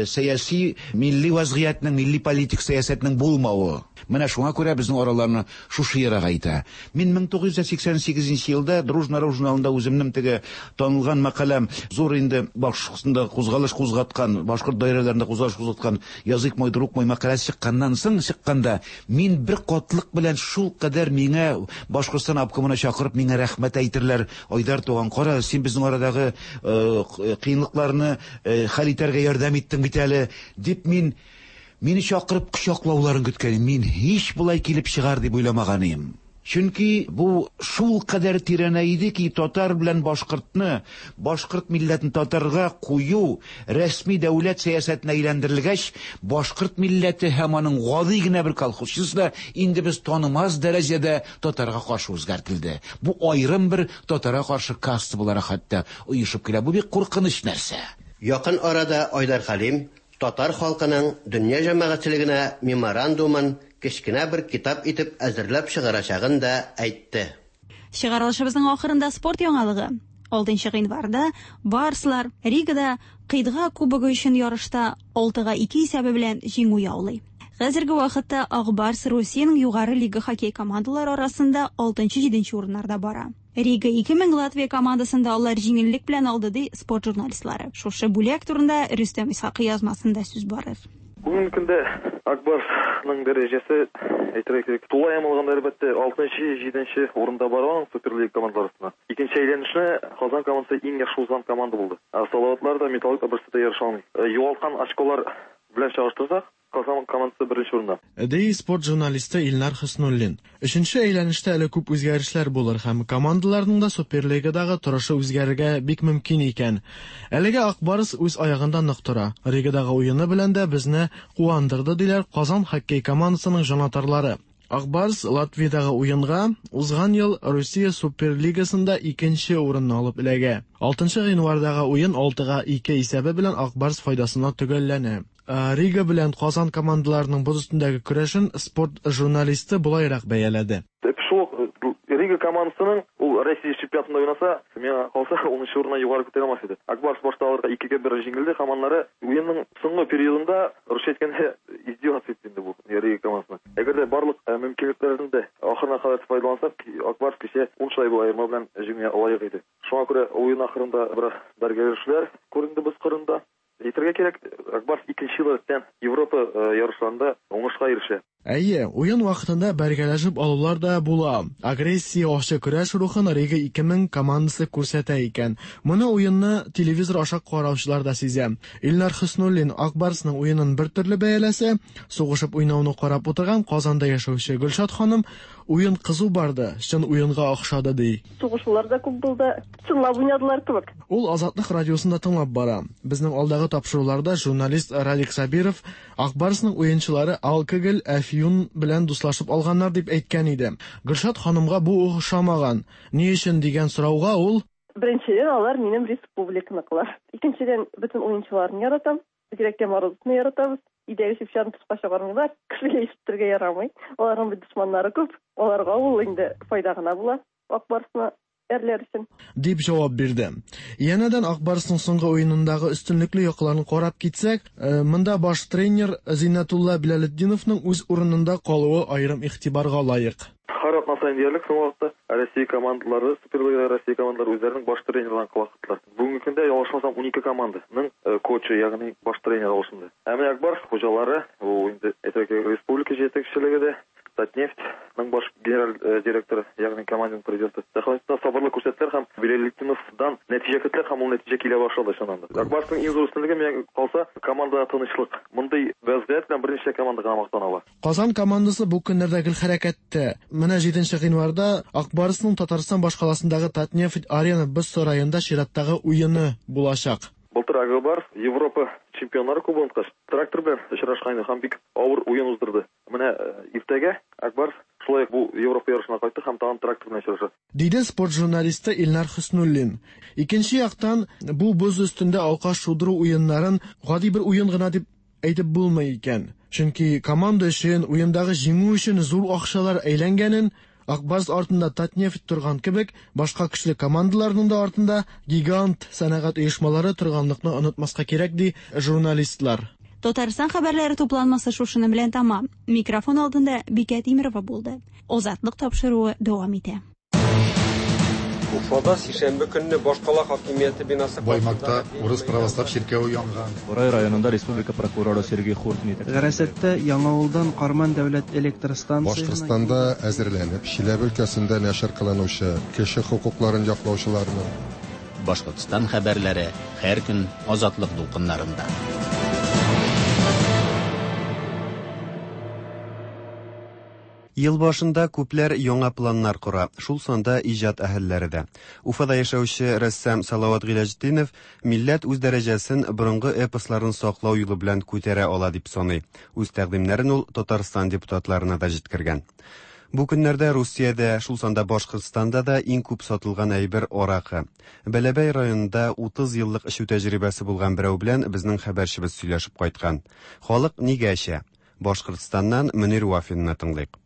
сәяси милли вазгыятьнең, милли политик сәясәтнең булмавы. Менә шуңа күрә безнең араларны шушы ерагайта. Мин 1988 елда Дружна журналында үземнең теге танылган мәкаләм, зур инде Башкортстанда кузгалыш кузгаткан, башкорт даирәләрендә кузгалыш кузгаткан Язык мой, друг мой мәкаләсе чыкканнан соң, чыкканда мин бер катлык белән шул кадәр миңа Башкортстан обкомына чакырып миңа рәхмәт әйтерләр. Айдар туган, кара, син безнең арадагы кыенлыкларны хәл итәргә ярдәм иттең бит әле, дип мин мине чакырып кочаклауларын көткән. Мин һич болай килеп чыгар дип уйламаган идем. Чөнки бу шул кадәр тирәнәйде ки, татар белән башкортны, башкорт милләтен татарга кую рәсми дәүләт сәясәтенә әйләндерелгәч, башкорт милләте һәм аның гади генә бер колхозчысы да инде без танымас дәрәҗәдә татарга каршы үзгәртелде. Бу аерым бер татарга каршы каста буларак хәтта оешып килә. Бу бик куркыныч нәрсә. Якын арада Айдар Хәлим татар халкының дөнья җәмәгатьчелегенә меморандумын кечкенә бер китап итеп әзерләп чыгарачагын да әйтте. Чыгарылышыбызның ахырында спорт яңалыгы. 6 гыйнварда Барслар Ригада Кыйтга кубогы өчен ярышта 6-2 исәбе белән җиңү яулый. Хәзерге вакытта Ак Барс Русиянең югары лига хоккей командалары арасында 6-7 урыннарда бара. Рига 2000 Латвия командасында алар җиңеллек белән алды, ди спорт журналистлары. Шушы бүләк турында Рөстәм Исхакый язмасында сүз барыр. Бүгенге көндә Ак Барсның дәрәҗәсе, әйтергә кирәк, тулаем алганда, әлбәттә, 6-7 урында бара аның Суперлига командалары арасында. Икенче әйләнешне Казан командасы иң яхшы узган команда булды. Ә Салаватлар да, Металлург та берсе дә ярыша алмый. Югалткан очколар белән чагыштырсак, Казан командасы беренче урында. Ди спорт журналисты Илнар Хөснуллин. Өченче әйләнештә әле күп үзгәрешләр булыр һәм командаларның да Суперлигадагы торышы үзгәрергә бик мөмкин икән. Әлегә Ак Барс үз аягында нык тора. Ригадагы уены белән дә безне куандырды, диләр Казан хоккей командасының җанатарлары. Ак Барс Латвиядагы уенга узган ел Русия Суперлигасында икенче урынны алып эләгә. 6 гыйнвардагы уен 6-2 исәбе белән Ак Барс файдасына төгәлләнә. Рига белән Казан командаларының боз өстендәге көрәшен спорт журналисты болайрак бәяләде. Шул ук Рига командасының ул Россия чемпионатында уйнаса, миңа калса, унынчы урыннан югары күтәрә алмас иде. Ак Барс башта аларга 2-1 җиңелде һәм аннары уенның соңгы периодында, русча әйткәндә, издеваться итте инде бу Рига командасына. Әгәр дә барлык мөмкинлекләрне дә ахырына кадәр файдаланса, Ак Барс кичә 10 шайба аерма белән җиңүгә лаек иде. Шуңа күрә уен ахырында бераз бәргәләшүләр күренде боз кырында. Әйтергә кирәк, Ак Барс икенче ел рәттән Европа ярышларында уңышка ирешә. Әйе, уен вакытында бәргәләшеп алулар да була. Агрессия, ачы көрәш рухын Рига 2000 командасы күрсәтә икән. Моны уенны телевизор аша караучылар да сизә. Илнар Хөснуллин Ак Барсның уенын бер төрле бәяләсә, сугышып уйнауны карап утырган Казанда яшәүче Гөлшат ханым уен кызу барды, чын уенга охшады, ди. Сугышулар да күп булды, чынлап уйнадылар кебек. Ул Азатлык радиосында тыңлап бара. Безнең алдагы тапшыруларда журналист Радик Сабиров Ак Барсның уенчылары алкоголь, әфьюн белән дуслашып алганнар дип әйткән иде. Гөлшат ханымга бу охшамаган. Ни өчен дигән сорауга ул: Беренчедән, алар минем республиканыкылар. Икенчедән, бөтен уенчыларны яратам. Бигрәк тә Морозовны яратабыз. Өйдәге чүп-чарны тышка чыгармыйлар, кешегә ишеттерергә ярамый. Аларның бит дошманнары күп. Аларга ул инде файда гына була. Ак Барсны әрләр өчен. Дип җавап бирде. Янәдән Ак Барсның соңгы уенындагы өстенлекле якларын карап китсәк, монда баш тренер Зиннәтулла Билалетдиновның үз урынында калуы аерым игътибарга лаек. Һәр атна саен диярлек соңгы вакытта Россия командалары, Суперлигада Россия командалары үзләренең баш тренерларын кылактылар. Бүгенге көндә, ялгышмасам, 12 команданың кочы, ягъни баш тренер алышынды. Ә менә Ак Барс хуҗалары, ул инде әйтергә кирәк, республика җитәкчелеге дә, Татнефтьның баш генераль директоры, ягъни команданың президенты. Сәхнәсендә сабырлык күрсәттеләр һәм Билалетдиновдан нәтиҗә көттеләр һәм ул нәтиҗә килә башлады чыннан да. Ак Барсның иң зур өстенлеге миңа калса, командада тынычлык. Мондый вәзгыять белән берничә команда гына мактана ала. Казан командасы бу көннәрдә гел хәрәкәттә. Менә 7 гыйнварда Ак Барсның Татарстан башкаласындагы Татнефть Арена боз сараенда чираттагы уены булачак. Былтыр Ак Барс Европа чемпионнары кубогын откач, Трактор белән очрашкан иде һәм бик авыр уен уздырды. Менә иртәгә Ак Барс шулай ук бу Европа ярышына кайтты һәм тагын Трактор белән очраша. Диде спорт журналисты Илнар Хөснуллин. Икенче яктан, бу боз өстендә алка шудыру уеннарын гади бер уен гына дип әйтеп булмый икән. Чөнки команда өчен, уендагы җиңү өчен зур акчалар әйләнгәнен, Ак Барс артында Татнефть торган кебек, башка көчле командаларның да артында гигант сәнәгать оешмалары торганлыкны онытмаска кирәк, ди журналистлар. Татарстан хәбәрләре тупланмасы шушының белән тамам. Микрофон алдында Бикә Тимирова булды. Азатлык тапшыруы дәвам итә. Уфада сишәмбе көнне башкала хакимияте бинасы Баймакта урыс православ чиркәве янган. Борай районында республика прокуроры Сергей Хуртин итәкчелек. Гарасәттә Яңавылдан Карман дәүләт электр станциясенә Башкортстанда әзерләнеп, Чиләбе өлкәсендә нәшер кылынучы кеше хокукларын яклаучыларның Башкортстан хәбәрләре һәр көн Азатлык дулкыннарында. Ел башында күпләр яңа планнар кора, шул санда иҗат әһелләре дә. Уфада яшәүче рәссам Салават Гыйләҗетдинов милләт үз дәрәҗәсен борынгы эпосларын саклау юлы белән күтәрә ала дип саный. Үз тәкъдимнәрен ул Татарстан депутатларына да җиткергән. Бу көннәрдә Русиядә, шул санда Башкортстанда да иң күп сатылган әйбер аракы. Бәләбәй районында 30 еллык эчү тәҗрибәсе булган берәү белән безнең хәбәрчебез сөйләшеп кайткан. Халык нигә эчә? Башкортстаннан Мөнир Вафинны тыңлыйк.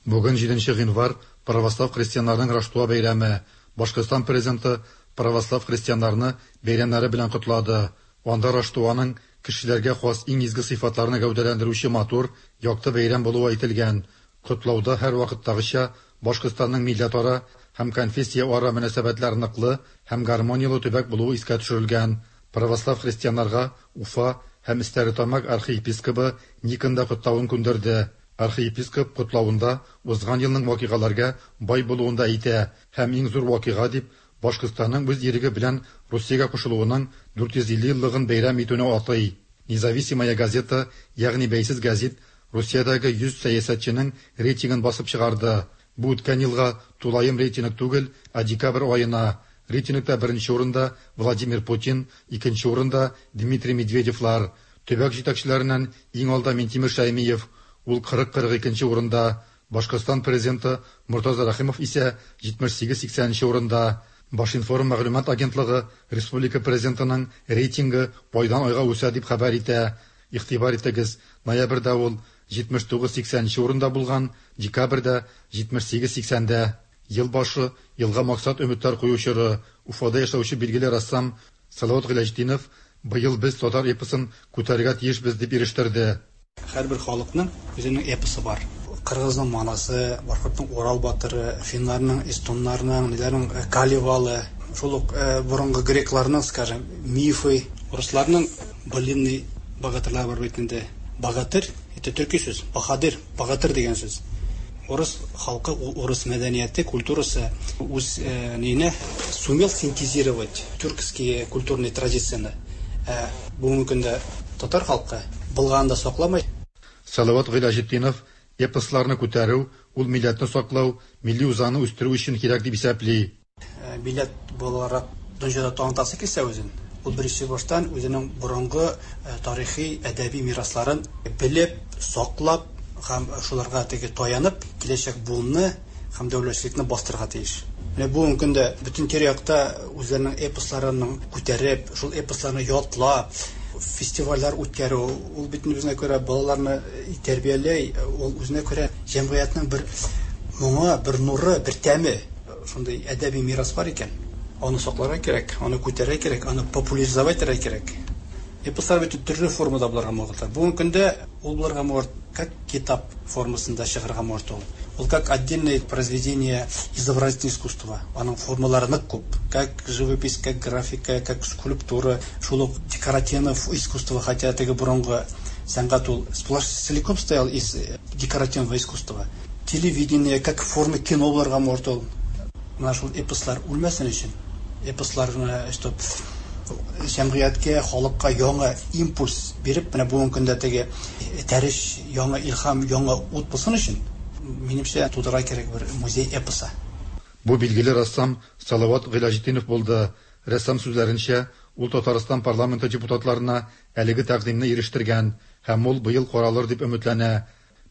Бүген җиденче гыйнвар, православ христианнарның Раштуа бәйрәме. Башкортстан Президенты православ христианнарны бәйрәмнәре белән котлады. Анда Раштуаның кешеләргә хас иң изге сыйфатларны гәүдәләндерүче матур, якты бәйрәм булуы әйтелгән. Котлауда һәрвакыттагыча Башкортстанның милләтара һәм конфессияара мөнәсәбәтләр ныклы һәм гармонияле төбәк булуы искә төшерелгән. Православ христианнарга Уфа һәм Стәрлетамак архиепискобы Никон да котлавын күндерде. Архиепископ котлавында узган елның вакыйгаларга бай булуын да әйтә һәм иң зур вакыйга дип Башкортстанның үз иреге белән Русиягә кушылуының 450 еллыгын бәйрәм итүне атый. Независимая газета, ягъни Бәйсез гәзит, Русиядәге 100 сәясәтченең рейтингын басып чыгарды. Бу үткән елга тулаем рейтинг түгел, ә декабрь аена. Рейтингта беренче урында Владимир Путин, икенче урында Дмитрий Медведевлар. Төбәк җитәкчеләреннән иң алда Минтимер Шәймиев, ул 40-42 нче урында. Башкортстан Президенты Мортаза Рәхимов исә 78-80 нче урында. Башинформ мәгълүмат агентлыгы республика Президентының рейтингы айдан-айга үсә дип хәбәр итә. Игътибар итегез, ноябрьдә ул 79-80 нче урында булган, декабрьдә, 78-80 дә. Ел башы, елга максат-өметләр кую чоры. Уфада яшәүче билгеле рәссам Салават Гыйләҗетдинов быел без татар эпосын күтәрергә тиешбез дип ирештерде. Һәрбер халыкның үзенең эпосы бар. Кыргызның Манасы, башкортның Урал батыры, финнарның, эстоннарның, ниләрнең Калевалы, шул ук борынгы грекларның, скажем, мифы, урысларның былинный богатырлары бар бит инде. Богатырь, это төрки сүз, баһадир, богатырь дигән сүз. Урыс халкы, урыс мәдәнияте, культурасы үз нине сумел синтезировать тюркские культурные традицияне. Ә бүгенге көндә татар халкы булганын да сакламый. Салават Гыйләҗетдинов эпосларны күтәрү, ул милләтне саклау, милли үзаңны үстерү өчен кирәк дип исәпли. Милләт буларак дөньяда танытасы килсә үзен, ул беренче баштан үзенең борынгы тарихи, әдәби мирасларын белеп, саклап һәм шуларга теге таянып, киләчәк буынны һәм дәүләтчелекне бастырырга тиеш. Менә бүгенге көндә бөтен тирә-якта үзләренең эпосларының күтәреп, шул эпосларны ятлап, фестивальләр үткәрү, ул бит үзенә күрә балаларны тәрбияли, ул үзенә күрә җәмгыятьнең бер моңы, бер нуры, бер тәме. Шундый әдәби мирас бар икән, аны сакларга кирәк, аны күтәрергә кирәк, аны популяризовать итәргә кирәк. Эпослар бит төрле формада булырга могытлар. Бүгенге көндә ул булырга могыт как китап формасында чыгарга могыт ул. Ул как отдельное произведение изобразительного искусства. Аның формалары нык күп. Как живопись, как графика, как скульптура, шул ук декоративное искусство, хотя теге борынгы сәнгать ул сплошь целиком стоял из декоративного искусства. Телевидение, как форма кино булырга могыт ул. Менә шул эпослар үлмәсен өчен, эпосларны, чтоб җәмгыятькә, халыкка яңа импульс биреп, менә бүгенге көндә теге этәреш, яңа илһам, яңа ут булсын өчен, минемчә, тудырырга кирәк бер музей эпосы. Бу билгеле рәссам Салават Гыйләҗетдинов булды. Рәссам сүзләренчә, ул Татарстан парламенты депутатларына әлеге тәкъдимне ирештергән һәм ул быел каралыр дип өметләнә.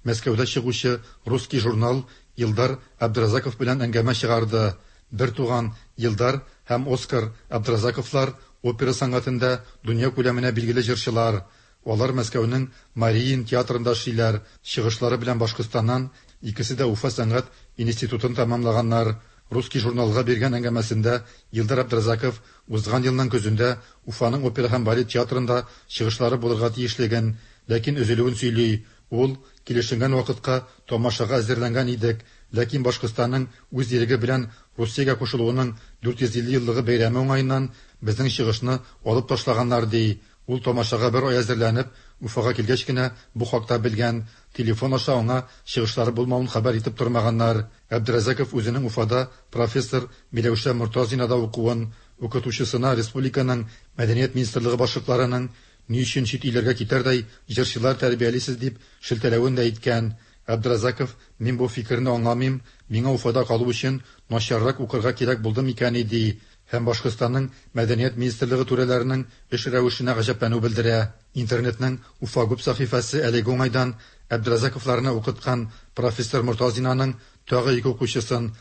Мәскәүдә чыгучы Русский журнал Илдар Абдразаков белән әңгәмә чыгарды. Бертуган Илдар һәм Оскар Абдразаковлар опера сәнгатендә дөнья күләменә билгеле җырчылар. Алар Мәскәүнең Мариин театрында эшлиләр, чыгышлары белән Башкортстаннан, икесе дә Уфа сәнгать институтын тәмамлаганнар. Русский журналга биргән әңгәмәсендә Илдар Абдразаков узган елның көзендә Уфаның опера һәм балет театрында чыгышлары булырга тиешлеген, ләкин өзелүен сөйли. Ул, Килешенгән вакытка тамашага әзерләнгән идек, ләкин Башкортстанның үз иреге белән Русиягә кушылуының 450 еллыгы бәйрәме уңаеннан безнең чыгышны алып ташлаганнар, ди. Ул тамашага бер ай әзерләнеп, Уфага килгәч кенә бу хакта белгән, телефон аша аңа чыгышлары булмавын хәбәр итеп тормаганнар. Әбдерәзаков үзенең Уфада профессор Миләүшә Мортазинада укуын, укытучысына республиканың Мәдәният министрлыгы башлыкларының Ни өчен чит илләргә китәрдәй җырчылар тәрбиялисез дип шелтәләвен дә әйткән. Әбдразаков, мин бу фикерне аңламыйм, миңа Уфада калу өчен начаррак укырга кирәк булды микәнни, ди һәм Башкортстанның Мәдәният министрлыгы түрәләренең эш рәвешенә гаҗәпләнү белдерә. Интернетның Уфагуб сәхифәсе әлеге уңайдан Әбдразаковларны укыткан профессор Мортазинаның тагы ике укучысын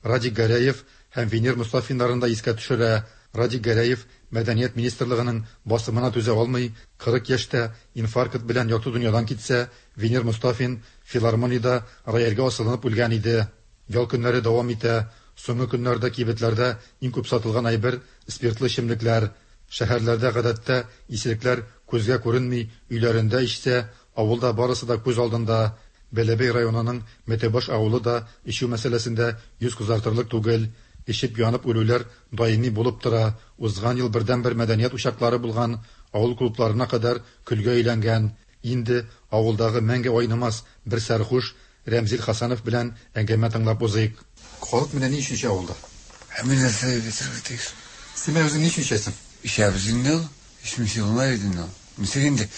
Радик Гәрәев һәм Венер Мостафиннарын да искә төшерә. Радик Гәрәев Мәдәният министрлыгының басымына түзә алмый, 40 яшьтә инфаркт белән якты дөньядан китсә, Венер Мостафин филармониядә рояльгә асылынып үлгән иде. Ял көннәре дәвам итә. Соңгы көннәрдә кибетләрдә иң күп сатылган әйбер спиртлы эчемлекләр. Шәһәрләрдә гадәттә исерекләр күзгә күренми, өйләрендә эчсә, авылда барысы да күз алдында. Бәләбәй районының Мәтәүбаш авылы да эчү мәсьәләсендә йөз кызартырлык түгел. Эчеп янып үлүләр даими булып тора. Узган ел бердәнбер мәдәният учаклары булган авыл клубларына кадәр көлгә әйләнгән. Инде авылдагы мәңге айнымас бер сәрхуш Рәмзил Хасанов белән әңгәмә тыңлап узыйк. Халык менә ни өчен эчә авылда? Ә мин нәрсә дип әйтергә тиеш? Син менә үзең ни өчен эчәсең? Эчәбез инде ул. Эчмичә булмый бит инде ул. Ничек инде?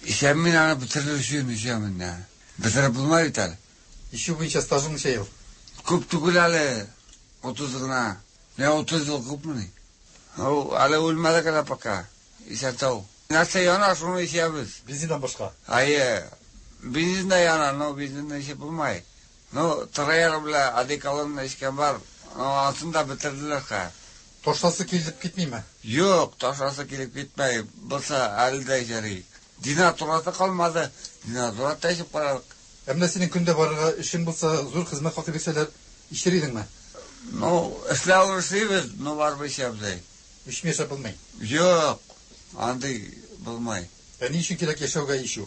Эчәм мин аны бетерер өчен эчәм инде. Бетереп булмый бит әле. Эчү буенча стажың ничә ел? Күп түгел әле, 30 гына. Менә 30 ел күпмени? Ау, әле үлмәдек әле пока. Исән сау. Нәрсә яна, шуны эчәбез. Бензиннан башка? Әйе. Бензин дә яна, но бензинны эчеп булмый. Ну, трояр белән одеколонны эчкән бар. Ну, анысын да бетерделәр хәзер. Ташласы килеп китмиме? Юк, ташласы килеп китмәй. Булса, әле дә эчәр идек. Денатураты калмады. Денатурат та эчеп карадык. Ә менә синең көндә барырга эшең булса, зур хезмәт хакы бирсәләр, эчер идеңме? Ну, эшләвен эшлибез, но барыбер эчәбез әй. Эчми яшәп булмый. Юк, андый булмый. Ә ни өчен кирәк яшәүгә эчү?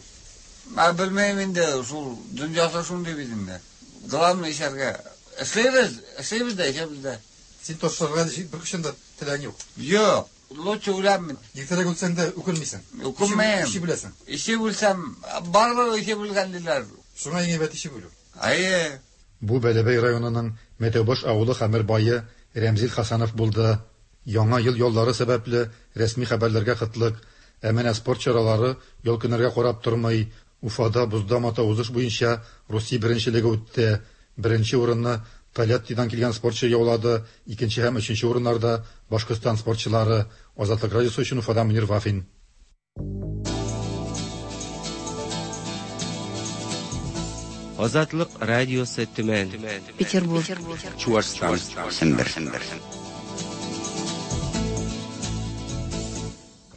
Ә белмим инде, шул дөньясы шундый бит инде. Главное эчәргә. Эшлибез, эшлибез дә, эчәбез дә. Син ташларга беркайчан да теләгең юк. Юк, лучше үләм мин. Иртәрәк үлсәң дә үкенмисең. Үкенмим. Эчеп үләсең. Эчеп үлсәм, барыбер эчеп үлгән диләр. Шуңа иң әйбәт эчеп үлү. Әйе. Бу Бәләбәй районының Мәтәүбаш авылы хәмер бае Рәмзил Хасанов булды. Яңа ел яллары сәбәпле рәсми хәбәрләргә кытлык. Ә менә спорт чаралары ял көннәргә карап тормый. Уфада бозда мотоузыш буенча Русия беренчелеге үтте. Беренче урынны Тольяттидан килгән спортчы яулады, икенче һәм өченче урыннарда Башкортстан спортчылары. Азатлык радиосы өчен Уфадан Мөнир Вафин. Азатлык радиосы Төмән. Петербург. Чуашстан. Сембер.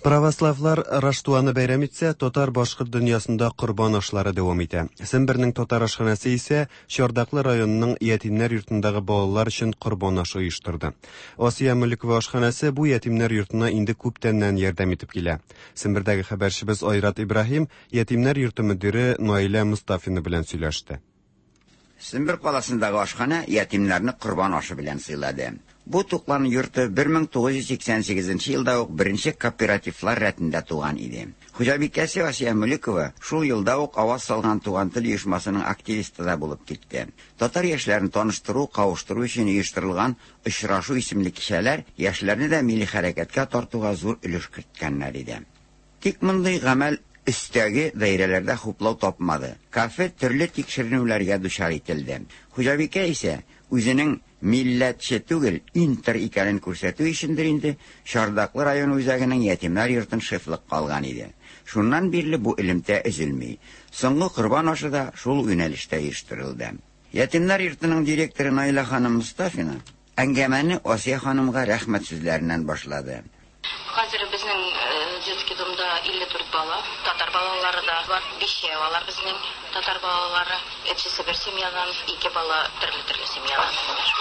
Православлар Раштуаны бәйрәм итсә, татар-башкорт дөньясында корбан ашлары дәвам итә. Сембернең татар ашханәсе исә Чардаклы районының ятимнәр йортындагы балалар өчен корбан ашы оештырды. Асия Мөлекова ашханәсе бу ятимнәр йортына инде күптәннән ярдәм итеп килә. Сембердәге хәбәрчебез Айрат Ибраһим ятимнәр йорты мөдире Наилә Мостафина белән сөйләште. Сембер каласындагы ашханә ятимнәрне корбан ашы белән сыйлады. Бу туклану йорты 1988 елда ук беренче кооперативлар рәтендә туган иде. Хуҗабикәсе Асия Мөлекова шул елда ук аваз салган Туган тел оешмасының активисты да булып китте. Татар яшьләрен таныштыру, кавыштыру өчен оештырылган Очрашу исемле кичәләр яшьләрне дә милли хәрәкәткә тартуга зур өлеш керткәннәр иде. Тик мондый гамәл өстәге даирәләрдә хуплау тапмады. Кафе төрле тикшеренүләргә дучар ителде. Хуҗабикә исә үзенең милләтче түгел, интер икәнен күрсәтү өчендер инде Чардаклы район үзәгенең ятимнәр йортын шефлыкка алган иде. Шуннан бирле бу элемтә өзелми. Соңгы корбан ашы да шул юнәлештә оештырылды. Ятимнәр йортының директоры Наилә ханым Мостафина әңгәмәне Асия ханымга рәхмәт сүзләреннән башлады. Хәзер безнең детский домда 54 бала, татар балалары да бар, бишәү алар безнең татар балалары. Өчесе бер семьядан, ике бала төрле-төрле семьядан.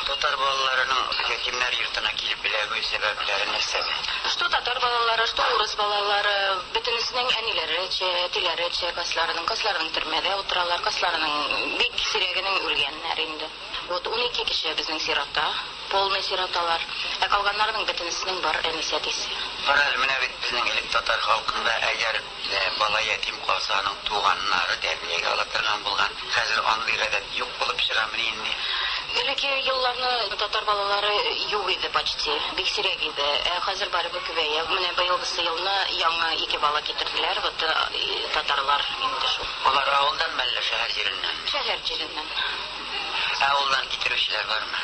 Татар балаларының ятимнәр йортына килеп эләгү сәбәпләре нәрсәдә? Что татар балалары, что урыс балалары, бөтенесенең әниләре эчә, әтиләре эчә, кайсыларының, кайсыларының төрмәдә утыралар, кайсыларының бик сирәгенең үлгәннәр инде. Вот 12 кеше безнең сирота, полный сироталар. Ә калганнарының бөтенесенең бар әнисе, әтисе. Кара әле, менә бит безнең элек татар халкында әгәр дә бала ятим калса, аның туганнары тәрбиягә ала торган булган. Хәзер андый гадәт юк булып чыгамыни инде? Элекке елларны татар балалары юк иде почти, бик сирәк иде. Ә хәзер барыбер күбәя. Менә быелгысы елны яңа ике бала китерделәр, вот татарлар инде шул. Алар авылданмы әллә шәһәр җиреннән? Шәһәр җиреннән. Ә авылдан китерүчеләр бармы?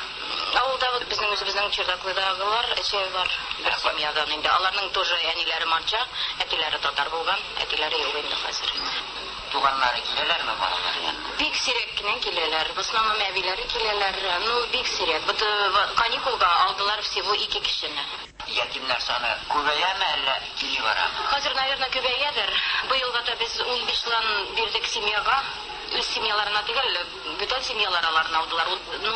Авылда вот безнең үзебезнең Чердаклыдагылар өчәү бар бер семьядан инде. Аларның тоже әниләре марҗа, әтиләре татар булган, әтиләре юк инде хәзер. Туганнары киләләрме балалар янына? Бик сирәк кенә киләләр. В основном әбиләре киләләр. Ну, бик сирәк. Вот каникулга алдылар всего ике кешене. Ятимнәр саны күбәяме әллә кими барамы? Хәзер, наверное, күбәядер. Быелга да без 15 лан бирдек семьяга. Үз семьяларына түгел, бүтән семьялар аларны алдылар. Ну,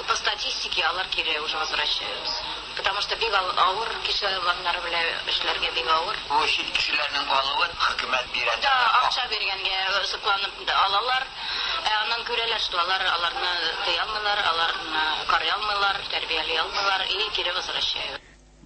по статистике алар кире уже возвращаются. Потому что бик авыр кеше алганнары белән эшләргә бик авыр. Бу чит кешеләрнең алуын хөкүмәт бирә. Да, акча биргәнгә сокланып алалар. Ә аннан күрәләр, что алар аларны тыя алмыйлар, аларны карый алмыйлар, тәрбияли алмыйлар и кире возвращают.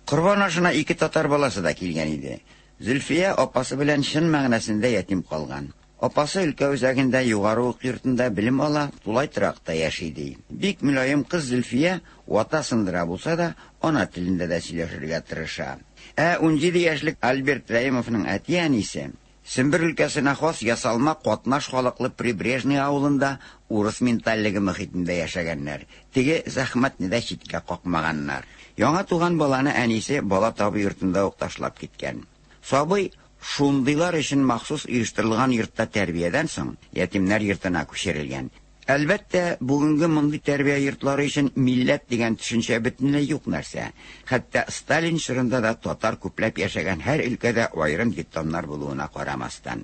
Корбан ашына ике татар баласы да килгән иде. Зөлфия апасы белән чын мәгънәсендә ятим калган. Апасы өлкә үзәгендә югары уку йортында белем ала, тулай торакта яши ди. Бик мөлаем кыз Зөлфия вата сындыра булса да, ана телендә дә сөйләшергә тырыша. Ә 17 яшьлек Альберт Рәимовның әти-әнисе Сембер өлкәсенә хас ясалма катнаш халыклы Прибрежный авылында урыс ментальлеге мөхитендә яшәгәннәр. Теге зәхмәтне дә читкә какмаганнар. Яңа туган баланы әнисе бала табу йортында ук ташлап киткән. Сабый шундыйлар өчен махсус оештырылган йортта тәрбиядән соң ятимнәр йортына күчерелгән. Әлбәттә, бүгенге мондый тәрбия йортлары өчен милләт дигән төшенчә бөтенләй юк нәрсә. Хәтта Сталин чорында да татар күпләп яшәгән һәр өлкәдә аерым детдомнар булуына карамастан.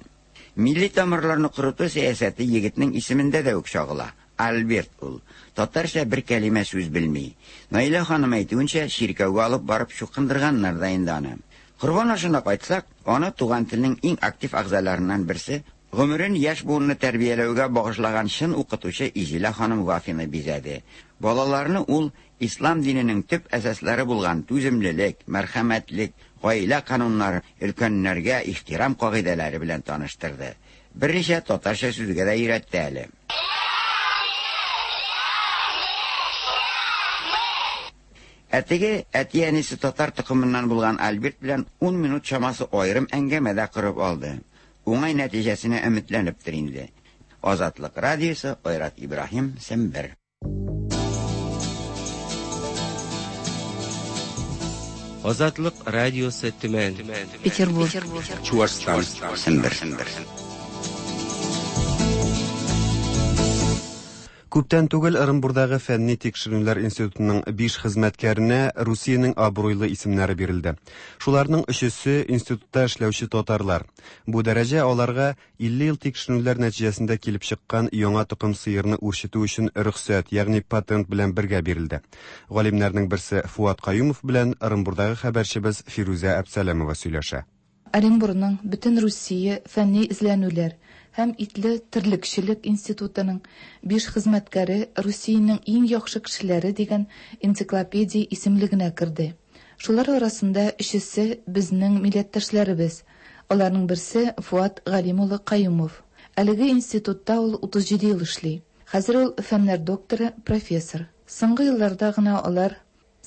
Милли тамырларны корыту сәясәте егетнең исемендә дә үк чагыла. Альберт ул. Татарча бер кәлимә сүз белми. Наилә ханым әйтүенчә, чиркәүгә алып барып чукындырганнар да инде аны. Корбан ашына кайтсак, аны туган телнең иң актив әгъзаларыннан берсе, гомерен яшь буынны тәрбияләүгә багышлаган чын укытучы Изилә ханым Вафина бизәде. Балаларны ул ислам диненең төп әсаслары булган түземлелек, мәрхәмәтлек, гаилә кануннары, өлкәннәргә ихтирам кагыйдәләре белән таныштырды. Берничә татарча сүзгә дә өйрәтте әле. Ә теге әти-әнисе татар токымыннан булган Альберт белән 10 минут чамасы аерым әңгәмә дә корып алды. Уңай нәтиҗәсенә өметләнептер инде. Азатлык радиосы, Айрат Ибраһим, Сембер. Азатлык радиосы Төмән. Петербург. Чуашстан. Сембер. Күптән түгел Ырынбурдагы фәнни тикшеренүләр институтының 5 хезмәткәренә Русиянең абруйлы исемнәре бирелде. Шуларның өчесе институтта эшләүче татарлар. Бу дәрәҗә аларга 50 ел тикшеренүләр нәтиҗәсендә килеп чыккан яңа токым сыерны үрчетү өчен рөхсәт, ягъни патент белән бергә бирелде. Галимнәрнең берсе Фуат Каюмов белән Ырынбурдагы хәбәрчебез Фирүзә Әбсәләмова сөйләшә. Оренбурның бөтен Русия фәнни эзләнүләр һәм итле терлекчелек институтының биш хезмәткәре Русиянең иң яхшы кешеләре дигән энциклопедия исемлегенә керде. Шулар арасында өчесе безнең милләттәшләребез. Аларның берсе Фуат Галим улы Каюмов. Әлеге институтта ул 37 ел эшли. Хәзер ул фәннәр докторы, профессор. Соңгы елларда гына алар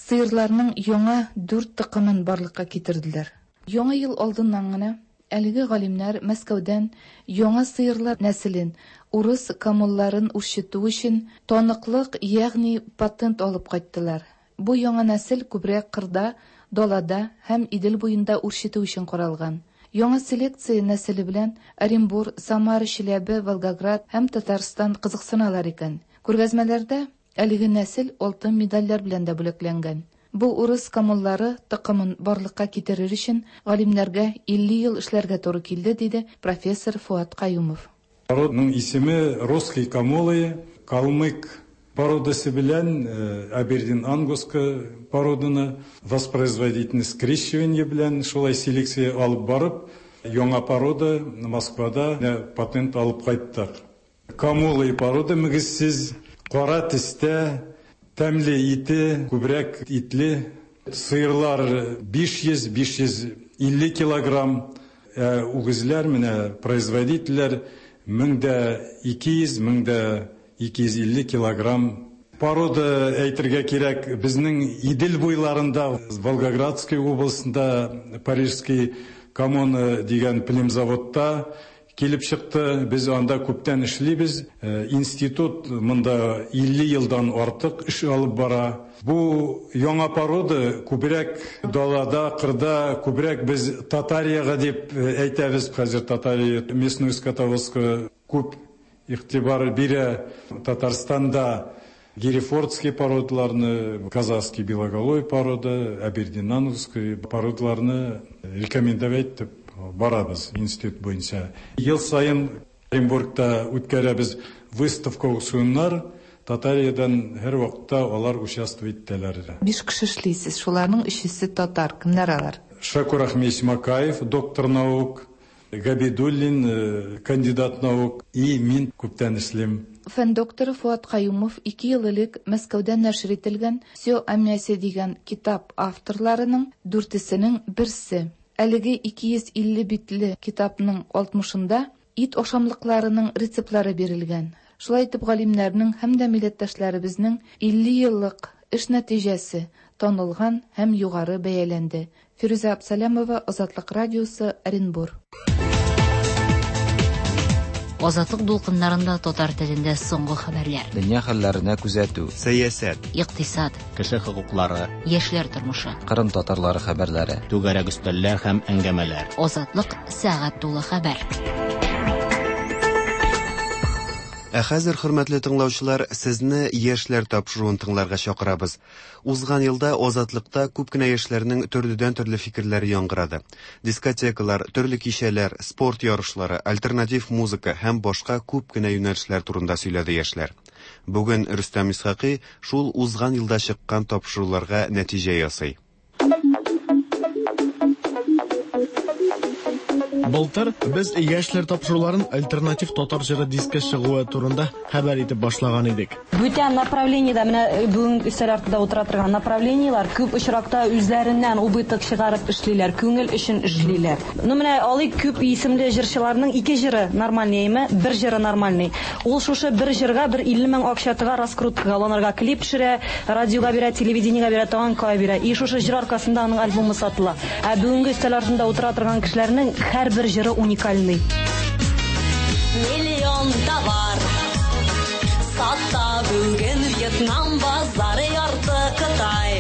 сыерларның яңа дүрт токымын барлыкка китерделәр. Яңа ел алдыннан гына әлеге галимнәр Мәскәүдән яңа сыерлар нәселен, урыс камылларын үрчетү өчен таныклык, ягъни патент алып кайттылар. Бу яңа нәсел күбрәк кырда, далада һәм Идел буенда үрчетү өчен каралган. Яңа селекция нәселе белән Оренбур, Самара, Чиләбе, Волгоград һәм Татарстан кызыксыналар икән. Күргәзмәләрдә әлеге нәсел алтын медальләр белән дә бүләкләнгән. Бу урыс камыллары токымын барлыкка китерер өчен галимнәргә 50 ел эшләргә туры килде, диде профессор Фуат Каюмов. Народның исеме русский камолы, калмык породасы белән Абердин Ангуска породаны воспроизводительность скрещивание белән шулай селекция алып барып, яңа порода Москвада патент алып кайттык. Камолы порода мөгезсез, кара төстә, тәмле ите, күбрәк итле. Сыерлар 500-550 килограмм, үгезләр менә производительләр 1200-1250 килограмм Порода әйтергә кирәк, безнең Идел буйларында, Волгоградский областында Парижский коммуна дигән племзаводта килеп чыкты. Без анда күптән эшлибез. Институт монда 50 елдан артык эш алып бара. Бу яңа порода күбрәк далада, кырда, күбрәк без Татариягә дип әйтәбез. Хәзер Татария местную скотоводство күп игътибар бирә. Татарстанда герефордский породаларны, казахский белоголовый порода, абердинановский породаларны рекомендовать итеп барабыз институт буенча. Ел саен Оренбургта үткәрәбез выставка аукционнар. Татариядән һәрвакытта алар участвовать итәләр. Биш кеше эшлисез, шуларның өчесе татар. Кемнәр алар? Шакур Ахмедович Макаев, доктор наук, Габидуллин, кандидат наук, и мин күптән эшлим. Фән докторы Фоат Каюмов 2 ел элек Мәскәүдә нәшер ителгән «Всё о мясе» дигән китап авторларының дүртесенең берсе. Әлеге 250 битле китапның 60-ында ит ашамлыкларының рецептлары бирелгән. Шулай итеп, галимнәрнең һәм дә милләттәшләребезнең 50 еллык эш нәтиҗәсе танылган һәм югары бәяләнде. Фирүзә Абсалямова, Азатлык радиосы, Оренбур. Азатлык дулкыннарында татар телендә соңгы хәбәрләр. Дөнья хәлләренә күзәтү. Сәясәт. Икътисад. Кеше хокуклары. Яшьләр тормышы. Кырым татарлары хәбәрләре. Түгәрәк өстәлләр һәм әңгәмәләр. Азатлык сәгать тулы хәбәр. Ә хәзер, хөрмәтле тыңлаучылар, сезне яшьләр тапшыруын тыңларга чакырабыз. Узган елда Азатлыкта күп кенә яшьләрнең төрледән-төрле фикерләре яңгырады. Дискотекалар, төрле кичәләр, спорт ярышлары, альтернатив музыка һәм башка күп кенә юнәлешләр турында сөйләде яшьләр. Бүген Рөстәм Исхакый шул узган елда чыккан тапшыруларга нәтиҗә ясый. Былтыр без яшьләр тапшыруларын альтернатив татар җыры дискы чыгуы турында хәбәр итеп башлаган идек. Бүтән направлениедә менә бүген өстәл артында утыра торган направлениеләр күп очракта үзләреннән убыток чыгарып эшлиләр, күңел өчен эшлиләр. Ну менә алыйк күп исемле җырчыларның ике җыры нормальный әйме, бер җыры нормальный. Ул шушы бер җырга бер 50 мең акча тыга, раскруткага алынырга клип төшерә, радиога бирә, телевидениегә бирә, тагын кая бирә. И шушы җыр аркасында аның альбомы сатыла. Ә бүгенге өстәл артында утыра торган кешеләрнең һәр бер җыры уникальный. Миллион товар сата бүген Вьетнам базары, ярты Кытай.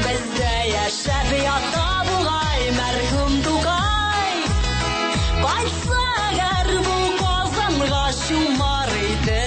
Бездә яшәп ята бугай мәрхүм Тукай. Кайтса әгәр бу Казанга чумар иде.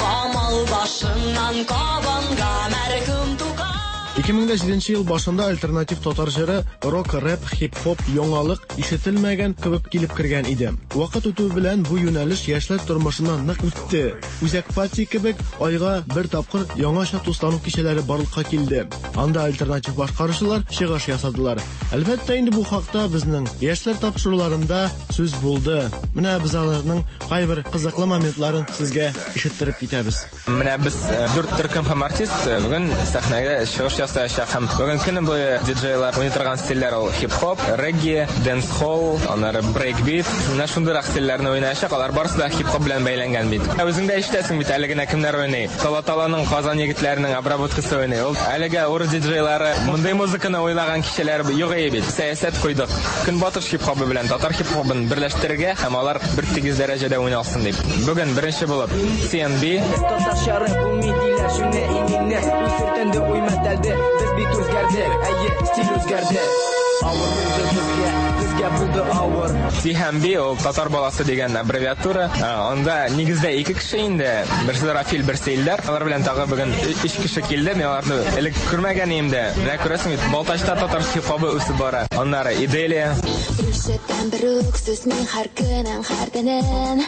Камал башыннан Кабанга мәрхүм Тукай. 2007 ел башында альтернатив татар җыры рок, рэп, хип-хоп яңалык ишетелмәгән кебек килеп кергән иде. Вакыт үтү белән бу юнәлеш яшьләр тормышына нык үтте. Үзәк пати кебек айга бер тапкыр яңача туслану кичәләре барлыкка килде. Анда альтернатив башкаручылар чыгыш ясадылар. Әлбәттә инде бу хакта безнең яшьләр тапшыруларында сүз булды. Менә без аларның кайбер кызыклы моментларын сезгә ишеттереп китәбез. Менә без дүрт төркем һәм артист бүген сәхнәгә чыгыш ясаячак һәм бүген көне буе диджейлар уйный торган стильләр ул хип-хоп, регги, дэнс-холл, аннары брейкбит. Менә шундыйрак стильләрне уйнаячак. Алар барысы да хип-хоп белән бәйләнгән бит. Ә үзең дә ишетәсең бит, әле генә кемнәр уйный. Тала-таланың Казан егетләренең обработкасы уйный. Ул әлегә урыс диджейлары мондый музыканы уйнаган кичәләр юк иде бит. Сәясәт куйдык. Көнбатыш хип-хобы белән татар хип-хобын берләштерергә һәм алар бер тигез дәрәҗәдә уйналсын дип. Бүген беренче булып CNB. Татарча рэп булмый диләр, шуны иңеңне. Үз сөртенде уй мәтәлде, без бит үзгәрдек, әйе, стиль үзгәрде. Авыр булды безгә, безгә булды авыр. T һәм B ул татар баласы дигән аббревиатура. Анда нигездә ике кеше инде. Берсе Рафил, берсе Илдар. Алар белән тагы бүген өч кеше килде. Мин аларны элек күрмәгән идем дә. Менә күрәсең бит, Балтачта татар хип-хобы үсеп бара. Аннары Иделия. Ишетәм бер үк сүз мин һәр көнен, һәр төнен.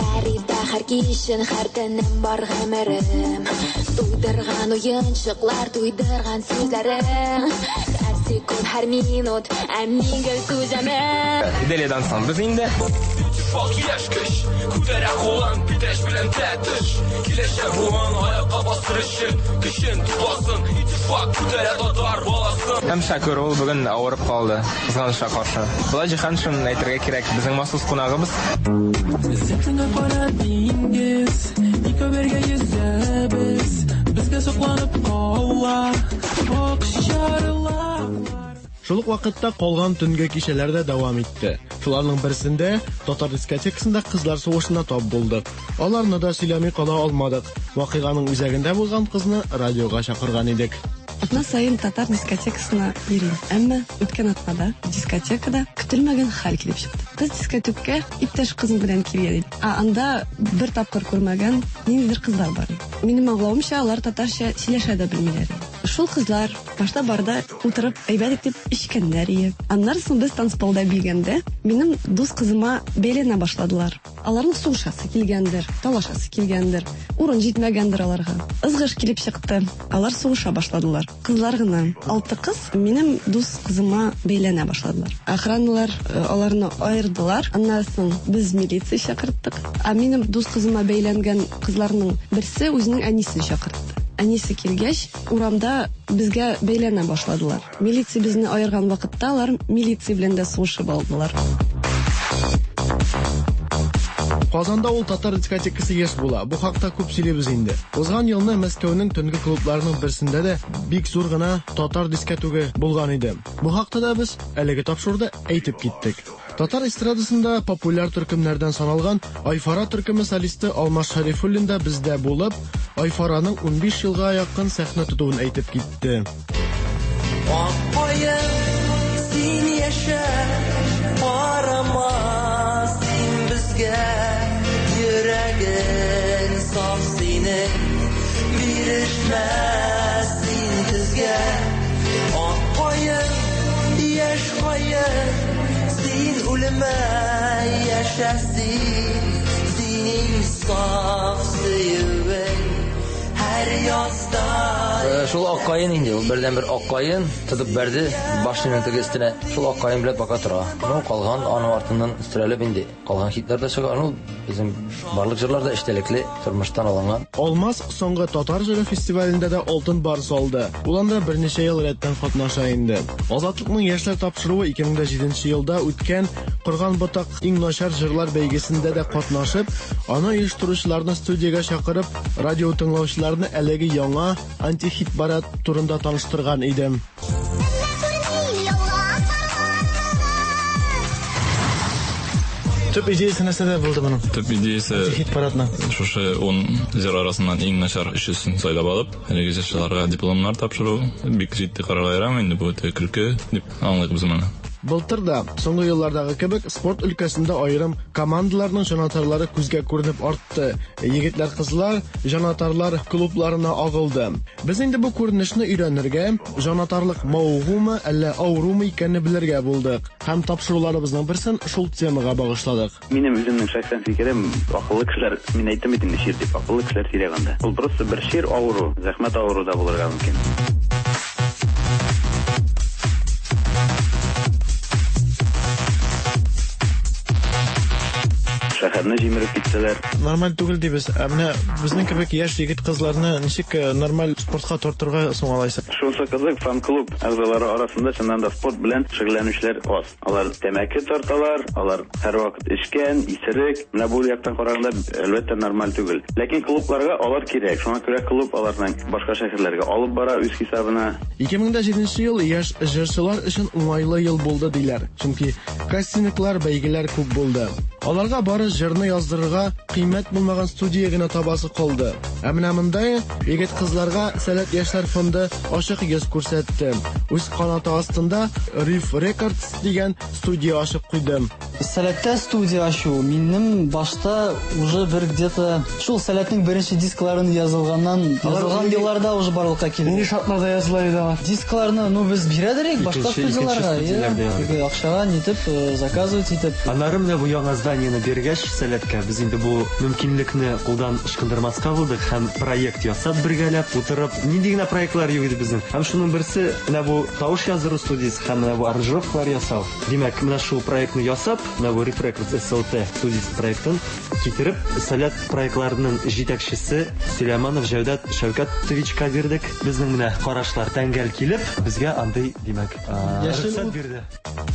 Һәр иртә, һәр кичен, һәр төнем бар гомерем. Туйдырган уенчыклар, туйдырган сүзләрең. Һәр секунд, һәр минут, ә мин гел түзәмен. Иделиядан соң без инде. Иттифак яшь көч Күтәрә кулын Питрәч белән Тәтеш. Киләчәк буын аякка бастыр өчен Көчен тупласын. Иттифак күтәрә татар баласын. Һәм Шәкүр ул бүген авырып калды, кызганычка каршы. Болай Җиһаншин әйтергә кирәк, безнең махсус кунагыбыз. Син кара диңгез, икәү бергә йөзәбез, безгә сокланып кала, акчарлаклар. Шул ук вакытта калган төнге кичәләр дә дәвам итте. Шуларның берсендә татар дискотекасында кызлар сугышына тап булдык. Аларны да сөйләми кала алмадык. Вакыйганың үзәгендә булган кызны радиога чакырган идек. Атна саен татар дискотекасына йөрим. Әмма үткән атнада дискотекада көтелмәгән хәл килеп чыкты. Кыз дискотекка иптәш кызым белән килгән иде. Ә анда бер тапкыр күрмәгән ниндидер кызлар бар иде. Минем аңлавымча, алар татарча сөйләшә дә белмиләр иде. Шул кызлар башта барда утырып әйбәт итеп эчкәннәр иде. Аннары соң без танцполда биегәндә минем дус кызыма бәйләнә башладылар. Аларның сугышасы килгәндер, талашасы килгәндер, урын җитмәгәндер аларга. Ызгыш килеп чыкты. Алар сугыша башладылар. Кызлар гына, алты кыз минем дус кызыма бәйләнә башладылар. Охраналар аларны аердылар. Аннан соң без милиция чакырттык. Ә минем дус кызыма бәйләнгән кызларның берсе үзенең әнисен чакыртты. Әнисе килгәч, урамда безгә бәйләнә башладылар. Милиция безне аерган вакытта алар милиция белән дә сугышып алдылар. Казанда ул татар дискотекасы еш була. Бу хакта күп сөйлибез инде. Узган елны Мәскәүнең төнге клубларының берсендә дә бик зур гына татар дискотегы булган иде. Бу хакта да без әлеге тапшыруда әйтеп киттек. Татар эстрадасында популяр төркемнәрдән саналган Айфара төркеме солисты Алмаз Шәрифуллин да бездә булып, Айфараның 15 елга якын сәхнә тотуын әйтеп китте. Ак каен, син яшә, карама син безгә, йөрәгең саф синең, бирешмә син көзгә. Ак каен, яшь каен, син үлмә, яшә син, синең саф сөюең һәр язда. Шул ак каен инде, ул бердән-бер ак каен тотып бәрде башының теге өстенә. Шул ак каен белән пока тора. Ну, калган аның артыннан өстерәлеп инде. Калган хитлар да чыга. Ну, безнең барлык җырлар да эчтәлекле, тормыштан алынган. Алмаз соңгы татар җыры фестивалендә дә алтын барс алды. Ул анда берничә ел рәттән катнаша инде. Азатлыкның яшьләр тапшыруы 2007 елда үткән Корган ботак иң начар җырлар бәйгесендә дә катнашып, аны оештыручыларны студиягә чакырып, радио тыңлаучыларны әлеге яңа антихит парад турында таныштырган иде. Төп идеясы нәрсәдә булды моның? Төп идеясы Антихит парадның. Шушы 10 җыр арасыннан иң начар өчесен сайлап алып, әлеге җырчыларга дипломнар тапшыру бик җитди карарга ярамый инде, бу үтә көлке дип аңлыйк без моны. Былтыр да, соңгы еллардагы кебек, спорт өлкәсендә аерым командаларның җанатарлары күзгә күренеп артты. Егетләр, кызлар җанатарлар клубларына агылды. Без инде бу күренешне өйрәнергә, җанатарлык мавыгумы, әллә авырумы икәнне белергә булдык. Һәм тапшыруларыбызның берсен шул темага багышладык. Минем үземнең шәхсән фикерем, акыллы кешеләр, мин әйттем бит инде чир дип, акыллы кешеләр сирәк анда. Ул просто бер чир авыру, зәхмәт авыру да булырга мөмкин. Шәһәрне җимереп киттеләр. Нормаль түгел дибез. Ә менә безнең кебек яшь егет-кызларны ничек нормаль спортка тартырга соң алайса? Шунысы кызык, фан-клуб әгъзалары арасында чыннан да спорт белән шөгыльләнүчеләр аз. Алар тәмәке тарталар, алар һәрвакыт эчкән, исерек. Менә бу яктан караганда, әлбәттә, нормаль түгел. Ләкин клубларга алар кирәк. Шуңа күрә клуб аларның башка шәһәрләргә алып бара үз хисабына. 2007 ел яшь җырчылар өчен уңайлы ел булды диләр. Чөнки кастинглар, бәйгеләр күп булды. Аларга бары җырны яздырырга кыйммәт булмаган студия генә табасы калды. Ә менә монда егет-кызларга Сәләт яшьләр фонды ачык йөз күрсәтте. Үз канаты астында Riff Records дигән студия ачып куйды. Сәләттә студия ачу минем башта уже бер где-то шул Сәләтнең беренче дискларын язылганнан, язылган елларда уже барлыкка килде. Нинди шартларда языла иде алар? Дискларны, ну, без бирә идек башка Икенче- икенче студияларга, студияләрдә язылды. теге акчага нитеп, заказывать итеп. Аннары менә бу яңа зданиене биргәч Сәләткә, без инде бу мөмкинлекне кулдан ычкындырмаска булдык һәм проект ясап бергәләп утырып, нинди генә проектлар юк иде безнең. Һәм шуның берсе менә бу тавыш яздыру студиясе һәм менә бу аранжировкалар ясау. Димәк, менә шул проектны ясап, Менә бу Rip Records SLT студиясе проектын китереп, Сәләт проектларының җитәкчесе Сөләйманов Җәүдәт Шәүкәтовичка бирдек. Безнең менә карашлар тәңгәл килеп, безгә андый, димәк, рөхсәт бирде.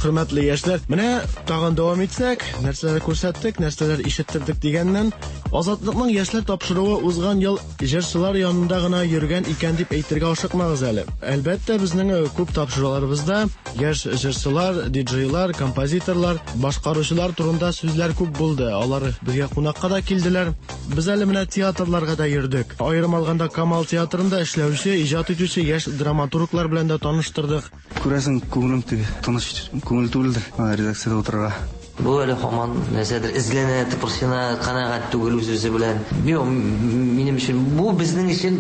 Хөрмәтле яшьләр, менә тагын дәвам итсәк, нәрсәләр күрсәттек, нәрсәләр ишеттердек дигәннән, Азатлыкның яшьләр тапшыруы узган ел җырчылар янында гына йөргән икән дип әйтергә ашыкмагыз әле. Әлбәттә, безнең э, күп тапшыруларыбызда яшь җырчылар, диджейлар, композиторлар, башкаручылар турында сүзләр күп булды. Алар безгә кунакка да килделәр. Без әле менә театрларга да йөрдек. Аерым алганда Камал театрында эшләүче, иҗат итүче яшь драматурглар белән дә таныштырдык. Күрәсең, күңелем теге тыныч күңел түгелдер, редакциядә утырырга. Бу әле һаман нәрсәдер эзләнә, тыпырчына, канәгать түгел үз-үзе белән. Юк, минем өчен бу безнең өчен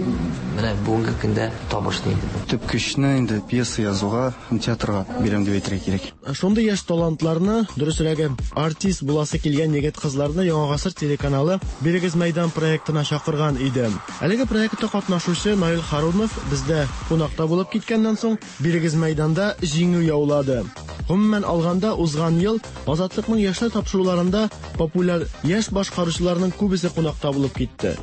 менә бүгенге көндә табыш инде бу. Төп көчне инде пьеса язуга һәм театрга бирәм дип әйтергә кирәк. Шундый яшь талантларны, дөресрәге, артист буласы килгән егет-кызларны Яңа гасыр телеканалы Бирегез мәйдан проектына чакырган иде. Әлеге проектта катнашучы Наил Харунов бездә кунакта булып киткәннән соң, Бирегез мәйданда җиңү яулады. Гомумән алганда, узган ел Азатлыкның яшьләр тапшыруларында популяр яшь башкаручыларның күбесе кунакта булып китте.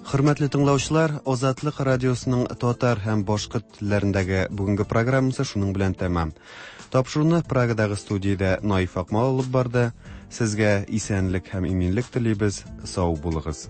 Хөрмәтле тыңлаучылар, Азатлык радиосының татар һәм башкорт телләрендәге бүгенге программасы шуның белән тәмам. Тапшыруны Прагадагы студиядә Наиф Акмал алып барды. Сезгә исәнлек һәм иминлек телибез. Сау булыгыз.